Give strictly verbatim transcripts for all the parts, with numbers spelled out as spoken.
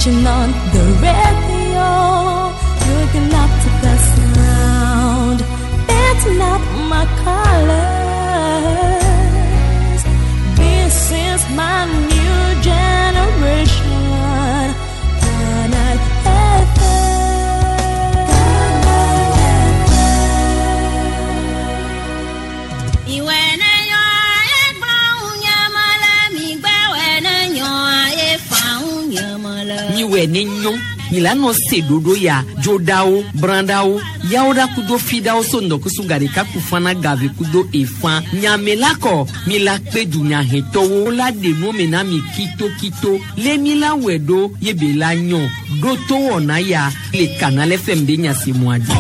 Switching on the radio, looking up to the sound. That's not my colors. This is my new generation. Canal F M. Ìwé ne yɔ egblɔ ŋu nye me le mi gbɛ wɛ ne nyɔ efa ŋu nye me le. Miwɛ ne nyɔ milano se ɖoɖo ya dzoɖawo brãɖawo yawo ɖa kudo fiɖawo so ŋdɔkusu gaɖeka kufana gave kudo efã nyame la kɔ mi la kpe dunyahetɔwo la ɖe nuwo me na mi kitokito lé mi la wɔe ɖo ye be la nyɔ ɖo to wɔna ya le Canal F M be nyasemua dzi.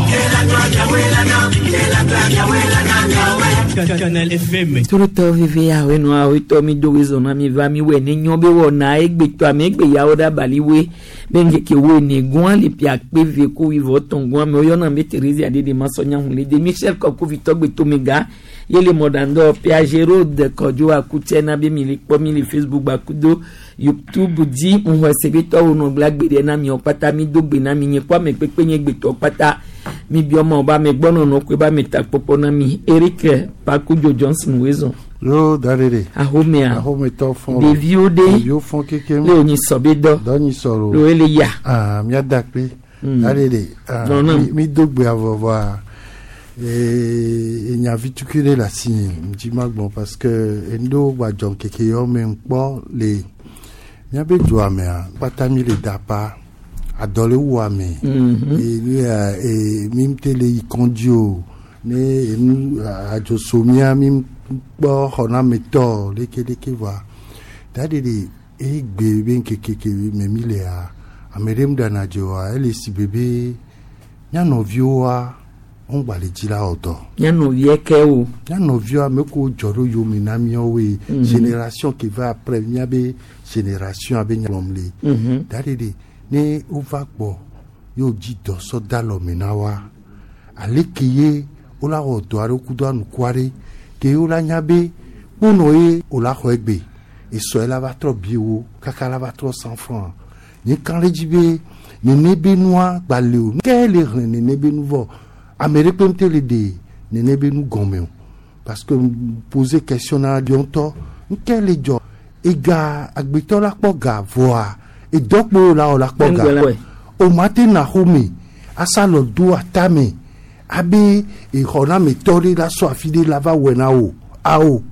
Canal F M. Torotɔ veve ya we nua we tɔ mi do we zɔna mi va mi wɛ ne nyɔ be wɔna egbetɔ ame egbe yawo ɖe abali we be ŋkeke wo ne gɔn le pia kpe ve ko wivɔ tɔn gɔn ame woyɔna be Thérésia de de ma sɔ nyahun le de Michel Kɔkovitɔ gbetomega yele mɔdandɔ Piaget Road Kɔdzo Akutsɛ na be mi le kpɔ mi le Facebook gbakudo YouTube dzi ŋuxɔ sebetɔwo nɔ gblẽ agbe ɖe na miɔ kpata mi do gbe na mi nye kpɔ ame kpekpe nye gbetɔ kpata mi biɔ ma wo be ame gbɔnɔnɔ koe be ame takpɔkpɔ na mi Eric Pakudzo Johnson wezɔn. Yo darere. Ahomea. Ahometɔ fɔn. Ɖeviwo ɖe. Ɖeviwo fɔn kekem. Le wònyi sɔ be dɔ. Dɔ nyi sɔrɔ. Le wo le ya. Ah, mía da kpe. Mm. Darere. Ah, Nɔnɔ. mi mi do gbe avɔvɔa. Ee enya vitukui ɖe le asi nye ŋdzi ma gbɔ parce que enu ɖewo gba dzɔ ŋkeke yawo me ŋkpɔ le míabe dua mea kpata mi le dapa adɔ le wu ame. Mhm. Ee nu ya ee mi ŋute le yi kɔndzi o ne enu adzoso mía mi kpɔ xɔnametɔ lekeleke voa daɖeɖe egbe be ŋkeke ke me mi lea ame ɖe ŋɖana dzo oa ele si be be mía nɔviwoa wogba le dzi la wɔ dɔ. Mía nɔvia ke o. Mía nɔviwo ame kewo dzɔ ɖo yome na míawoe Mhm. génération ke va après míabe génération abe nyalɔm le. Mhm. Daɖeɖe ne wova gbɔ ye wodzi dɔ sɔ da alɔme na woa aleke ye wola wɔ dɔ aɖe kudo anukua ɖe ke wola nya be kponɔ ye wola xɔ egbe esɔ ye la va trɔ bi wo kaka la va trɔ cent franc nye kan ɖe dzi be nene be nua gba le o ke le xlẽ nene be nu vɔ ame ɖe kpe ŋute le ɖe nene be nu gɔme o parce que poser question na ɖe ŋutɔ nke le dzɔ ega agbetɔ la kpɔ ga vɔa edɔkpo la wɔ la kpɔ ga Ŋgbɛ la. o ma te na xome asalɔ do atame abe exɔnametɔ ɖe la sɔ afi ɖe la va wɔe na wo awo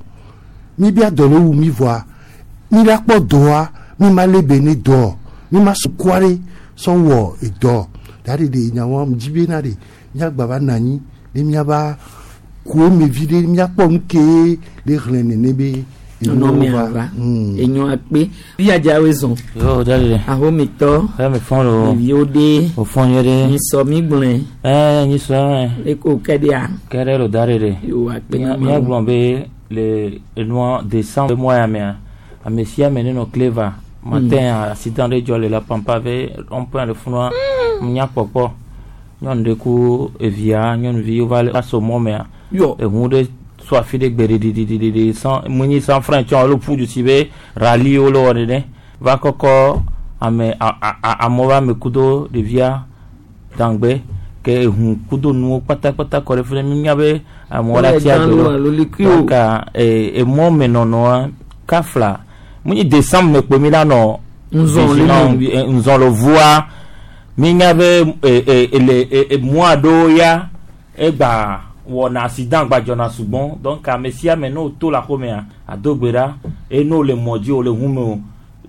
mi bia dɔ le wu mi vɔa mi la kpɔ dɔa mi ma le be ne dɔ mi ma sukua ɖe sɔ wɔ edɔ da ɖe ɖe nyawoa dzi be na ɖe miagba va na anyi ne miava ku eme vi ɖe miakpɔ nu ke le xlẽ nene be Nɔnɔmea va. va. Mm. Enyo akpe. Viadza wezɔn. Yo darere. Ahometɔ. Ɛ mi fɔn lo. Ɖeviwo ɖe. O fɔn nyuie ɖe. Mi sɔ mi gblɔe. Ɛ nyi sɔ ɛ. Eko kɛ ɖea. Kɛ ɖe lo darere. Yo akpe na Mía Mawu. gblɔ be le enua décembre mois ya mea ame sia ame ne nɔ cleva matin accident ɖe dzɔ le la pampa be rond-point le funua nya kpɔkpɔ nyɔnu ɖe ku evia nyɔnuvi wova le aso mɔ mea Yɔ. eʋu ɖe so afi ɖe gbe ɖiɖiɖiɖi sans munyi sans frein tsɔ alo ƒu du si be rally wo le wɔ nene va kɔkɔ ame a a a amewo va ame kudo ɖevia dangbe ke ehu kudo nuwo kpatakpata kɔ ɖe fi ɖe mi mia be amewo la Wole tsi dan agbe lo ɖo. alo likui o. Donc ee emɔ me nɔnɔa kafla munyi décembre me kpe mi la nɔ Nzɔn le vigilant, me. eh, nzɔn le vua mi nya be e e ele e e mois ɖewo ya egba wɔna accident gba dzɔna sugbɔn donc ame sia ame ne wo to le axɔmea ado gbe ɖa eye ne wo le mɔ dzi o le ʋu me o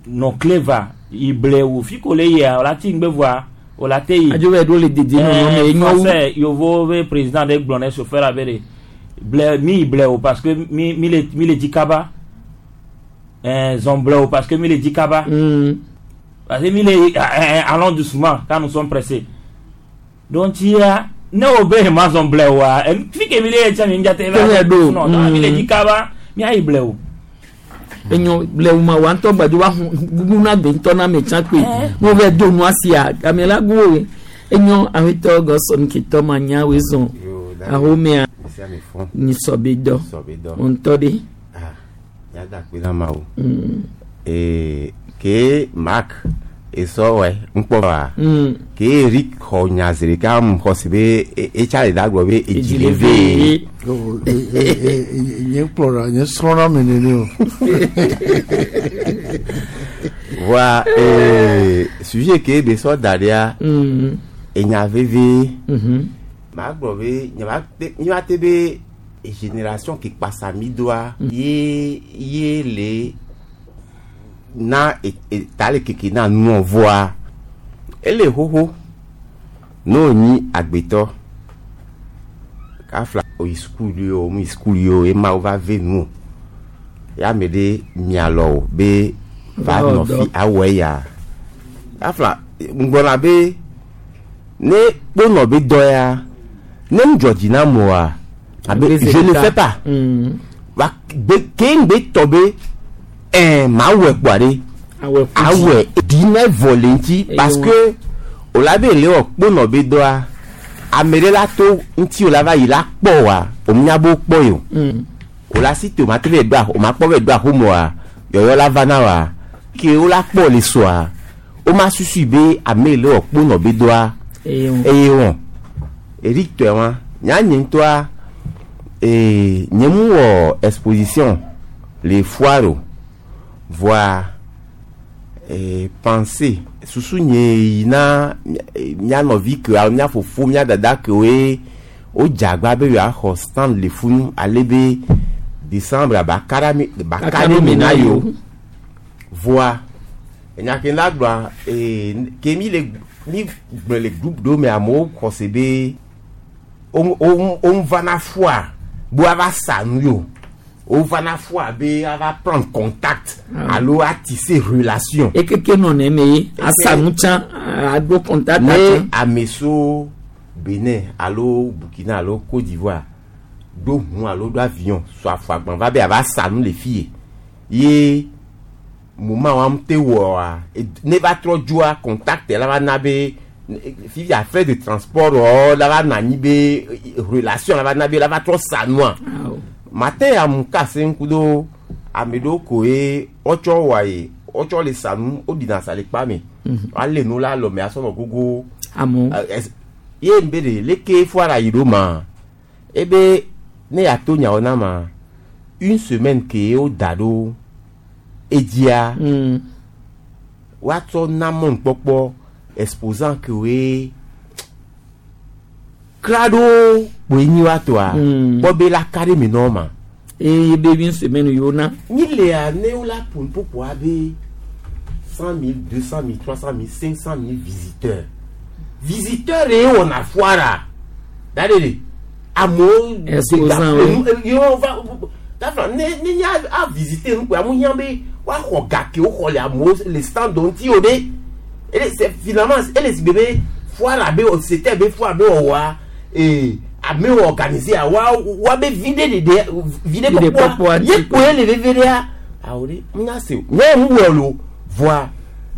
nɔ cleva ible wo fi ko le yia o la ti ŋgbe voa o la te yi. Adzo bɛ ɖo le dedie nɔnɔ me enyo wu. Français yovo be président ɖe gblɔ ne chauffeur abe de ble mi ble o parce que mi mi le mi le dzi kaba ɛɛ zɔn ble o parce que mi le dzi kaba. Mm. Parce que mi le eh, eh, allons doucement quand nous sommes pressés. Donc tia ne o be ma zɔn ble oa fi ke mi le yɛ tia mi ŋdza te Tɛmɛ ɖo. non non mi le Mm. dzi kaba mi ayi ble o. Enyo le wuma wa ŋutɔ gbadzo wa hu gugu na gbe ŋutɔ na ame tsã kpe. Mo vɛ do nua sia ame la gu wo. Enyo awetɔ gɔsɔn ketɔ ma nya wezɔn. Yo, darere. Ahomea. Sia mi fɔn. Nyi sɔ be dɔ. Sɔ be dɔ. O ŋutɔ ɖe. Ah, miada akpe na Mawu. Mm. Ee, ke Mark Esɔ wɛ ŋkpɔ wa. Mm. Ke Eric xɔ nya zi ɖeka mu xɔ si be e- etsa le da gblɔ be edzi le ve. Oh, e- e- e- e- nye kplɔra nye srɔ̃na me nene o. Voa ee sujet ke be sɔ da ɖia Mm. enya veve. Mhm. Maa gblɔ be nye ma te nye ma te be génération ke kpasa mi doa ye ye le na e- e- ta le keke na nuɔ voa ele xoxo n'o nyi agbetɔ kafla oyi sukulu yi o mu yi sukulu yi o ema wo va ve nu o ya ame ɖe mialɔ o be va Va wɔ nɔ dɔ. fi awɔ eya kafla ŋgblɔna be ne kponɔ be dɔ ya ne ŋdzɔ dzi na moa abe je ne fais pas Mm. wa gbe ke ŋgbe tɔ be ɛn maa wɔ kpɔa ɖe Awɛ ƒu dzi. awɛ dinɛ vɔ le ŋuti Eye parce wɔ. que o la be le wɔ kponɔ be dɔa ame ɖe la to ŋuti o la va yi la kpɔ wa o nya be wo kpɔ yi o Mm. o la si te o ma te vɛ do a o ma kpɔ vɛ do axomɔa yɔyɔ la va na wa ke o la kpɔ le sɔa o ma susu be ame yi le wɔ kponɔ be dɔa Eye wɔ. eye wɔn Eric tɔe wa nya nye ŋutɔa ee nye mu wɔ exposition le foire o voa ee pensée susu nye yi na mía- mía nɔvi ke alo mía fofo mía dada kewoe wo dze agba be yewoaxɔ stand le funu ale be décembre ba ka ɖe mi ba ka ɖe me na yewo voa enya ke la gblɔa ee ke mi le mi gblɔ le groupe ɖewo me amewo xɔ se be wo wo wo vana foa be woava sa nu yo wo vana foa be ava prendre contact alo attisser relation Ekeke nɔ nɛ me ye asa nu tsã aɖo contact ne tsã. ame so Benin alo Burkina alo Côte d'Ivoire ɖo ʋu alo ɖo avion sɔ afɔ agban va be ava sa nu le fi ye ye moment wa te wɔa ne va trɔ dzoa contact la va na be fifia frais de transport wɔ la va na anyi be relation la va na be la va trɔ sa nua Awɔ. matin amu kase ŋku do ame ɖewo koe wotsɔ wɔ ye wotsɔ le sa nu woɖina sa le kpa me woalé nu la alɔme asɔ nɔ gogo Amewo. Eh, es- ye ŋbe ɖe leke foara yi ɖo ma ebe ne yeato nyawo na ma une semaine ke woda ɖo edzia Mm. woatsɔ na mɔnukpɔkpɔ exposant kewoe kra ɖo kpoe nyi woatoa Mm. kpɔ be la ka ɖe me nɔ ma Eye be une semaine yewo na. mi lea ne wo la ƒo nuƒoƒoa be cent mille deux cent mille trois cent mille cinq cent mille visiteurs visiteurs ye wɔna foara da ɖe ɖe amewo Exposant, oui. yewo va dafa ne ne nye a visiter nu koe amewo hiã be woaxɔ gake woxɔ le amewo le stand ŋuti o ɖe ele c'est finalement ele si be be foara be c'était be foara be wɔwɔa ee amewo organiser a wa wa be viɖe ɖeɖe viɖe Viɖe kpɔkpɔa kpɔkpɔa ye ŋuti. koe le veve ɖea awo ɖe nya se o nye ŋu wɔ lo voa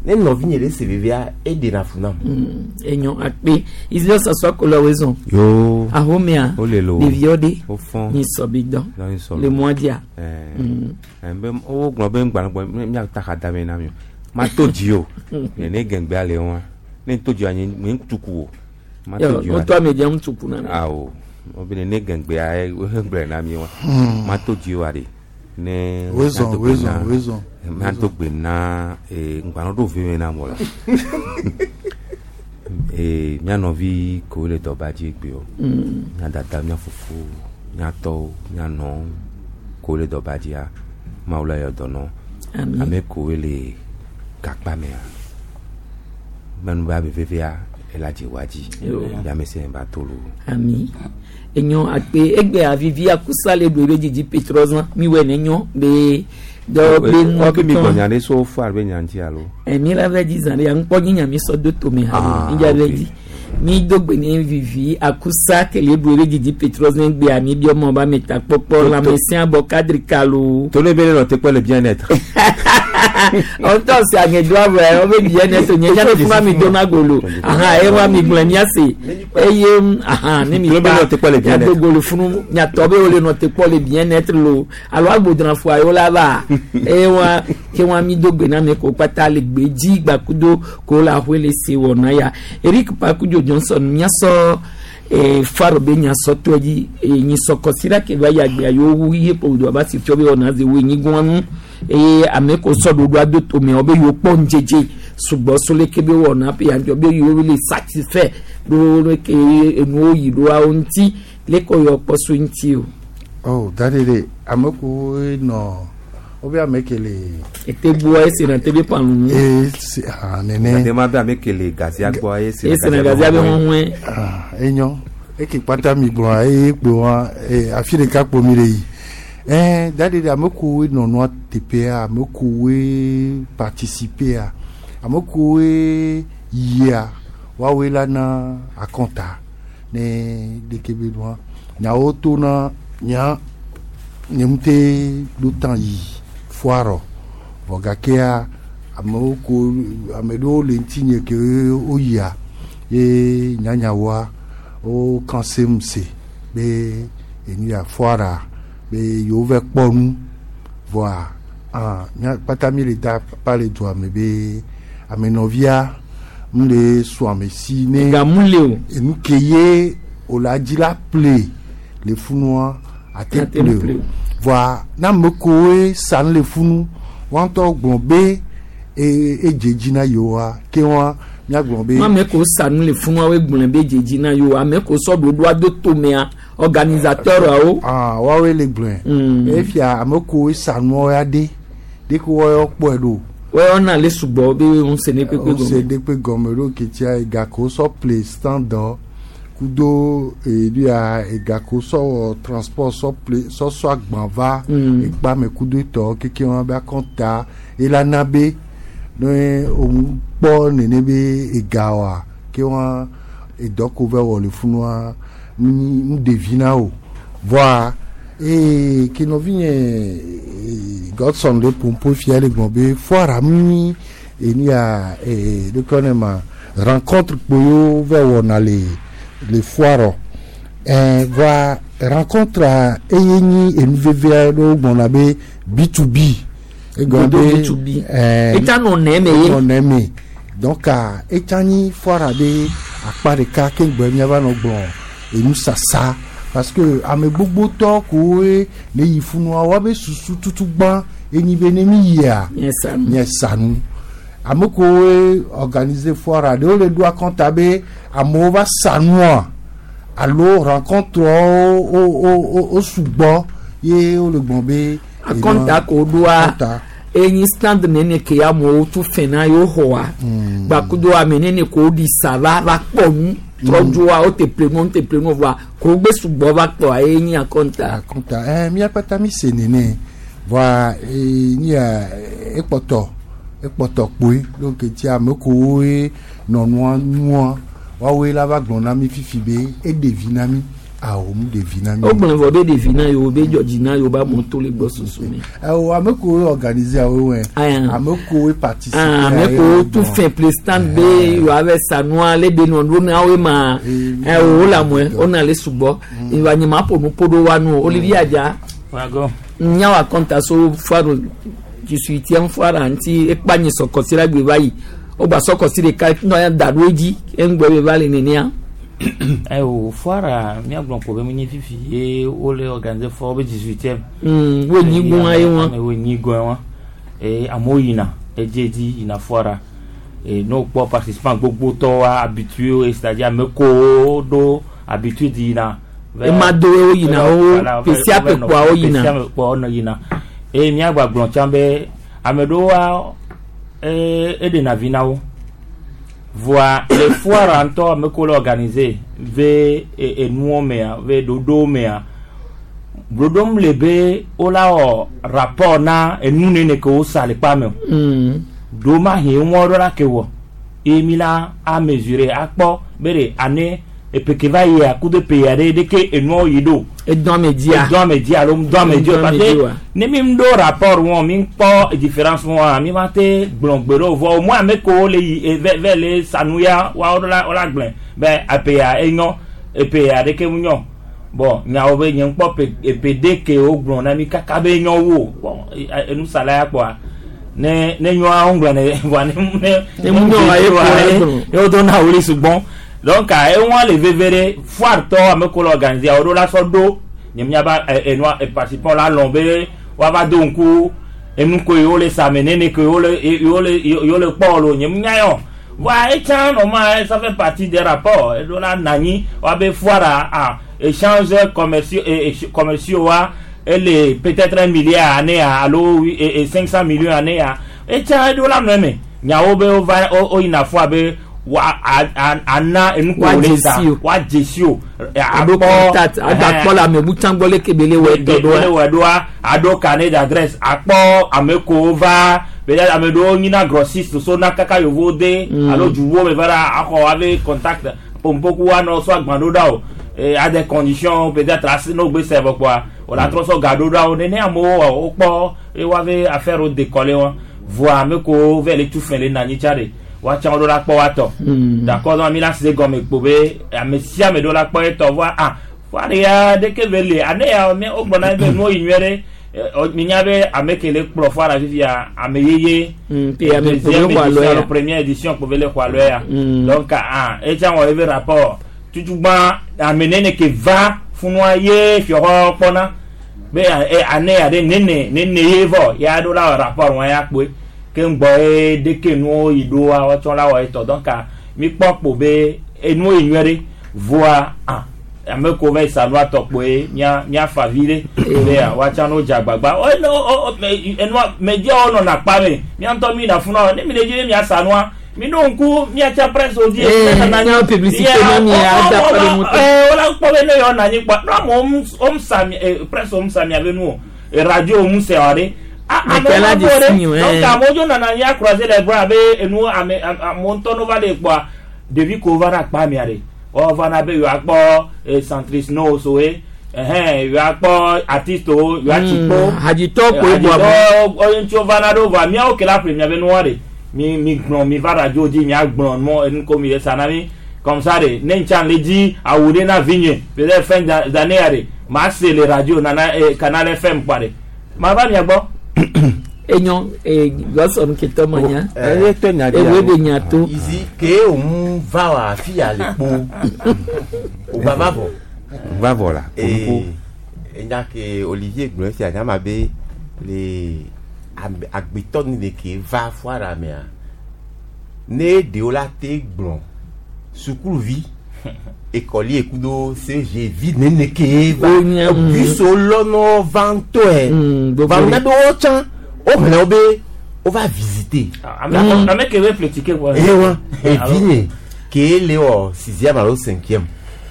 ne nɔvinye ɖe se vevea eɖena fu nam. Enyo akpe. Israel sasɔ akolo wezɔn. yo Ahomea. Wo le lo. Ɖeviwo ɖe. wo fɔn Nyi sɔbi dɔ. Nɔ nyi sɔ Le lo. mɔa dzia. ɛɛ be wo gblɔ be ŋgbalẽ miata xa da me na mi o ma to dzi o ne gɛngbea le wa ne to dzi wa nye nye tuku o ma to Yɔ dzi wa wotɔ ame dze ŋutsu kuna mi. awo wo be ne gɛngbea ye wo gblɔe na mi wa ma to dzi wa de ne Wezɔn, miato gbe wezɔn, na- wezɔn. miato gbe na ee ŋgbalẽ ɖo vi me na mo la ee mía nɔvi kewo le dɔba dzi gbe o mía dada mía fofo mía tɔwo mía nɔwo kewo le dɔba dzia mawu la yɔ dɔ nɔ Ami. ame kewoe le gakpa mea mɛnu ba be vevea ela dze wa dzi Yo. yame se ba to lo Ami. Enyo akpe egbe avivi akusa le do ebe dzidzi petrɔzã mi wɔ ne nyɔ be dɔ be nua ɔke mi tutɔ. gbɔ nya ɖe so fo alo be nya ŋuti alo Emi la vɛ dzi zã ɖe ya ŋkpɔ nyi nya mi sɔ do tome ha Ah, mi dza vɛ ok. dzi mi do gbe ne vivi akusa kele do ebe dzidzi petrɔzã gbea mi biɔ mɔ ba mi ta kpɔkpɔ To- to- lãmesẽ abɔ kadri kalo. to ne be ne nɔ te kpɔ le bien être Ɔtɔ si aŋedo avɔ ɔbe bien-être nye nya ne funa mi do na golo. Aha ewa mi gblẽ miase eye aha ne mi Be nɔ te kpɔ le bien-être. miado golo funu miatɔ be wole nɔ te kpɔ le bien-être lo alo agbodranfo ayo la va eye wa ke wa mi do gbe na mi ko kpata le gbe dzi gbakudo ko la hoe le se wɔ na ya Eric Pakudzo Johnson miasɔ eh, faro be nyasɔ tɔ dzi eh, nyisɔkɔsi ke va yi agbea yewo wu ye kpo do aba si fiɔ be wɔna ze wo nyi gɔn nu eye ame ko sɔ ɖoɖo ado tome wo be yewo kpɔ ŋdzedze sugbɔ so leke be wɔna pe yanjɔ be yewo le satisfait ɖo leke enuwo yi ɖoawo ŋuti leke yɔ kpɔ so ŋuti o oh dadi de ame kowoe nɔ wobe ame ke le ete gbɔ esi na te be panu nu e se ah nene Ate ma be ame ke le gazia gbɔ eye si esi na gazia be huhue ah enyo eke kpata mi gblɔa eye kpo wa e afi ɖeka kpo mi le yi ɛn dadi de ame kowoe nɔ nua teƒea ame kowoe participea ame kowoe yia woawoe la na akɔnta ne ɖeke be nua nyawo to na nya nye ŋute ɖo tan yi foire vɔ gakea amewo ko ame ɖewo le ŋutinye ke woyia ye nyanyawoa wo kan sem se be enu ya foire be yewo va kpɔ nu vɔa ah mía kpata mi le da pa le dua me be amenɔvia mu le sɔ ame si ne gamu le o enu ke ye o la dzi la ple le funua ate Ate ple ple o vɔa ne ame kowoe sa nu le funu woa ŋutɔ gblɔ be e edze dzi na yewoa ke wa míagblɔ be ame ko sa nu le funua wo gblẽ be dzedzi na yewo ame ko sɔ ɖoɖo ado tomea organisateur awo ah woawoe le gblɔe Mm. efia ame kowoe sa nua ya ɖe ɖe ko woawo kpɔe ɖo wɔyɔna le sugbɔ be ŋusẽ ne kpekpe wose gɔme ɖe kpe gɔme ɖo ketia ega ko sɔ ple stand dɔ kudo edu ya ega ko sɔ wɔ transport sɔ ple sɔ sɔ agban va Mm. ekpa me kudo tɔ keke wɔn be akɔnta elana be ne òun kpɔ nene be ega wa ke wɔn edɔ ko vɛ wɔ le funua nu ɖevi na o vɔa ee ke nɔvi nye ee, Godson le pompo fia le gblɔ be foire mi enu ya ee ɖeke ne ma rencontre kpoyo vɛ wɔna le le foire ɛɛ vɔa rencontre a eye nyi enu veve aɖewo gblɔna be B to B egɔme Godo be B to B. ɛɛ etsa nɔ nɛ me ye nɔ nɛ me donc ah, etsa nyi foire be akpa ɖeka ke gbe miava nɔ gblɔ enu sasa parce que ame gbogbotɔ kowoe ne yi funua woabe susu tutu gbã enyi be ne mi yia nye sa nu nye sa nu ame kowoe organiser foire ɖewo le ɖo akɔnta be amewo va sa nua alo rencontre wo wo wo wo sugbɔ ye wole gblɔ be akɔnta ko ɖoa akɔnta enyi stand nene ke amewo tu fɛn na yewo xɔa gbakudo ame nene ko ɖi sa va va kpɔ nu trɔdzoa wo te ple ŋu te ple ŋu vɔa ko gbe sugbɔ va kpɔa ye nyi akɔnta akɔnta ɛɛ mía kpata mi se nene vɔa ee nia ekpɔtɔ ekpɔtɔ kpoe donc eti ame kowoe nɔ nua nua woawoe la va gblɔ na mi fifi be eɖe vi na mi awo mu ɖe vi na mi wo gblɔ vɔ be ɖevi na yewo be dzɔdzi na yewo be amewo to le gbɔ susu me ɛwɔ ame kowoe organiser awo wɛ Aya. ame kowoe participer Ah, ame kowo tu fɛn ple stand be yewoa va sa nua le de nɔ ɖo na woe ma Eh, ɛ wo le amue wo na le sugbɔ ìwà nye ma ƒo nu ƒo ɖo wa nu o Olivier Adza Wago. nyawo akɔnta so foire dix-huitième foire ŋuti ekpa nyi sɔkɔsi la gbe va yi wogba sɔkɔsi ɖeka nɔ ya da ɖo edzi eŋgbɛ be va le nenea Ayiwo foire míagblɔ ko be menye fifi ye wole organiser foire be dix-huitième. Mm, wo nyi gbɔn ye wɔn Ame wo nyi gbɔn wa. Eye amewo yina edziedzi yina foire. E ne wokpɔ participant gbogbotɔwoa habitué c'est-à-dire ame kowo ɖo habitude yina. va- Ema dowo wo yina wo Voilà, ƒe sia ƒe kpoa wo yina. ƒe sia ƒe kpoa wo yina. Eye míagba gblɔ tsã be ame ɖewoa e eɖena vi na wo. Voa le foire ŋutɔ ame kewo le organiser ve e- enuwo mea ve ɖoɖowo mea ɖoɖom le be wola wɔ rapport na enu nene ke wosa le kpa me o. Mm. Ɖo ma he ŋua ɖo la ke wɔ ye mi la a mesurer akpɔ be ɖe année Epe ke va yia kudo pe ya ɖe ɖeke enuawo yi ɖo. Edɔn ame dzia. Edɔn ame dzi alo ŋdɔ ame dzi o Ŋdɔ ame parce dzi que wa. ne mi ɖo rapport wɔn mi kpɔ différence wɔn mi ma te gblɔ gbe ɖe o vɔ au moins ame kewo le yi e, vɛ vɛ le sanu ya wa wo la wo la gblẽ be epe ya enyɔ epe ya ɖeke mu nyɔ bon nyawo be nye ŋkpɔ pe epe de ke wo gblɔ na mi kaka be nyɔ wo bon e- e- enusala ya kpɔa ne ne nyɔa wo gblɔ ne vɔa ne ne Ne mu nyɔ wa ye kpɔ ye gblɔ. ye wo do na wuli sugbɔn donc eŋua le veve ɖe foire tɔ ame ko le organiser wo ɖo la sɔ ɖo nye miaba enua participant la lɔn be woava do ŋku enu ko yewo le same nene ko yewo le yewo le yewo le kpɔ lo nye nya yɔ voa etsã normal ça fait partie des rapports eɖo la nanyi woabe foire a échange commerciaux commerciaux wa ele peut-être un milliard année alo cinq cent millions année ya etsã eɖo la nɔ eme nyawo be wova wo yina foire be wa a a ana enu ko le sa wa dzesi o aɖo contact agbakpɔ le ame butsã gbɔ leke be le wɔ tɔ ɖoa le wɔ ɖoa aɖo carnet d'adresse akpɔ ame kowo va peut-être ame ɖewo nyina grossiste so na kaka yevowo de alo duwo me va ɖa axɔ ave contact pompoku anɔ so agban ɖo ɖa o à des conditions peut-être asi n'o gbe sɛ vɔ kpoa o la trɔ sɔ ga ɖo ɖa o nene amewo wɔ wokpɔ eye woave affaire wo décoller wɔn voa ame kowo vɛ le tu fɛn le nanyi tsa de woatsã wo ɖo la kpɔ woatɔ d'accord donc mi la se gɔme kpo be ame sia ame ɖo la kpɔ etɔ voa ah foire ya ɖeke ve le ane ya mi wo gblɔna be nuwo yi nyuie ɖe mi nya be ame ke le kplɔ foire fifia ame yeye deuxième édition alo première édition kpo be le xɔ alo ya donc ah etsã wɔ ebe rapport tutugbã ame nene ke va funua ye fiɔxɔ kpɔna be ane ya ɖe nene nene ye vɔ ya ɖo la wɔ rapport wɔn ya kpoe ke ŋgbɔ ye ɖeke nuwo yi ɖoa wotsɔ la wɔ etɔ donc mi kpɔ kpo be enuwo yi nyuie ɖe voa ah ame ko va yi sa nua tɔ kpoe mía míafa vi ɖe be woatsã no dze agbagba o eno o o enua mediawo nɔna akpa me mía ŋutɔ mi na funua ne mi le dzi be miasa nua mi ɖo ŋku miatsa presse wo dzi. Miawo publicité na mi ada kpɔ ɖe ŋutɔ. Ɛɛ wola kpɔ be ne yewo nɔ anyi kpɔ ne amewo wo sa mi presse wo sa mia be nu o radio wo se wa ɖe. Mekela de signe, donc amewo dzo nana anyi acroiser les bras abe enu ame amewo ŋutɔ no va le kpɔa ɖevi ko va na akpa mia ɖe wɔva na be yewoakpɔ centriste no soe ɛhɛn yewoakpɔ artiste wo yewoatsi kpo hadzitɔ koe bɔ abo hadzitɔ ŋutsu va na ɖo vɔa míawo ke la ƒle miabe nua ɖe mi mi gblɔ mi va radio dzi miagblɔ mɔ enu ko mi le sa na mi comme ça ɖe ne ŋtsa le dzi awu ɖe na vinye peut-être fin d'année ya ɖe ma se le radio nana eh, canal F M kpa ɖe ma va mia gbɔ. Enyo e gɔsɔn ketɔ ma nya eye tɔ nya ewe de nya to izi ke òun va wa afi ya le kpo o ba va vɔ. va vɔ la ee enya ke Olivier gblɔ esi anya ma be le ame agbetɔ ni le ke va foire mea ne ɖewo la te gblɔ sukuluvi écolier kudo C G vi nene ke va O nya, mm. biso lɔnɔ va ŋutɔe Mm, gbogbo va ɖe. na be wo tsã wo xlẽ wo be wo va visiter. ame ame ke be ƒle ticket kpɔ. eye wa evi nye ke le wɔ sixième alo cinquième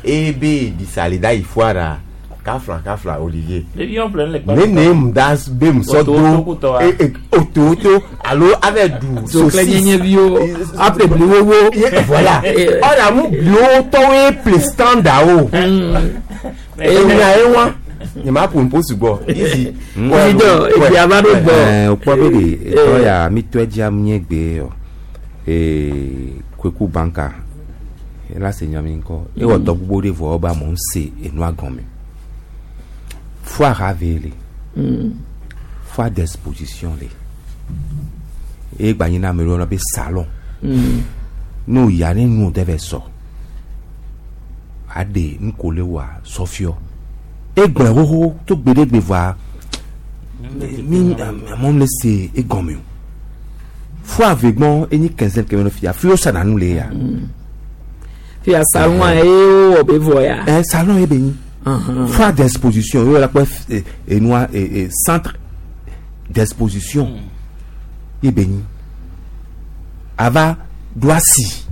eye be ɖisa le da yi foire kafla kafla Olivier ɖevi wɔn ƒle nu le kpa. nene mu da be musɔ Oto- do otokutɔ wa. e- e- ototo alo avɛ du zoklɛ nyenyeviwo aƒle bliwowo Ye- voilà Eh. ɔna mu bliwo tɔwoe ple standard o enya ye wa nye ma ƒo nuƒo sugbɔ izi Vidɔ egbea va ɖo gbɔ ɛɛ o kpɔ be de etɔ ya mi tɔe dzia mi nye gbe yɔ ee kweku banka ela se nya mi ŋkɔ ewɔ dɔ gbogbo ɖe vɔ be amewo se enua gɔme foire ave le foire d'exposition le eye gba nyina ame ɖewo yɔna be salon ne o yia ne nu de vɛ sɔ aɖe nuko le wa sɔfiɔ egblẽ xoxo to gbe ɖe gbe vɔa mi amewo le se egɔme o foire ave gbɔ enyi quinzaine kɛmɛ no fia fi wo sana nu le ya fia salon ye wowɔ be vɔ ya ɛ salon ye be nyi foire d'exposition yóò la kpɔ eh, enua eh, eh, centre d'exposition ye be nyi ava do asi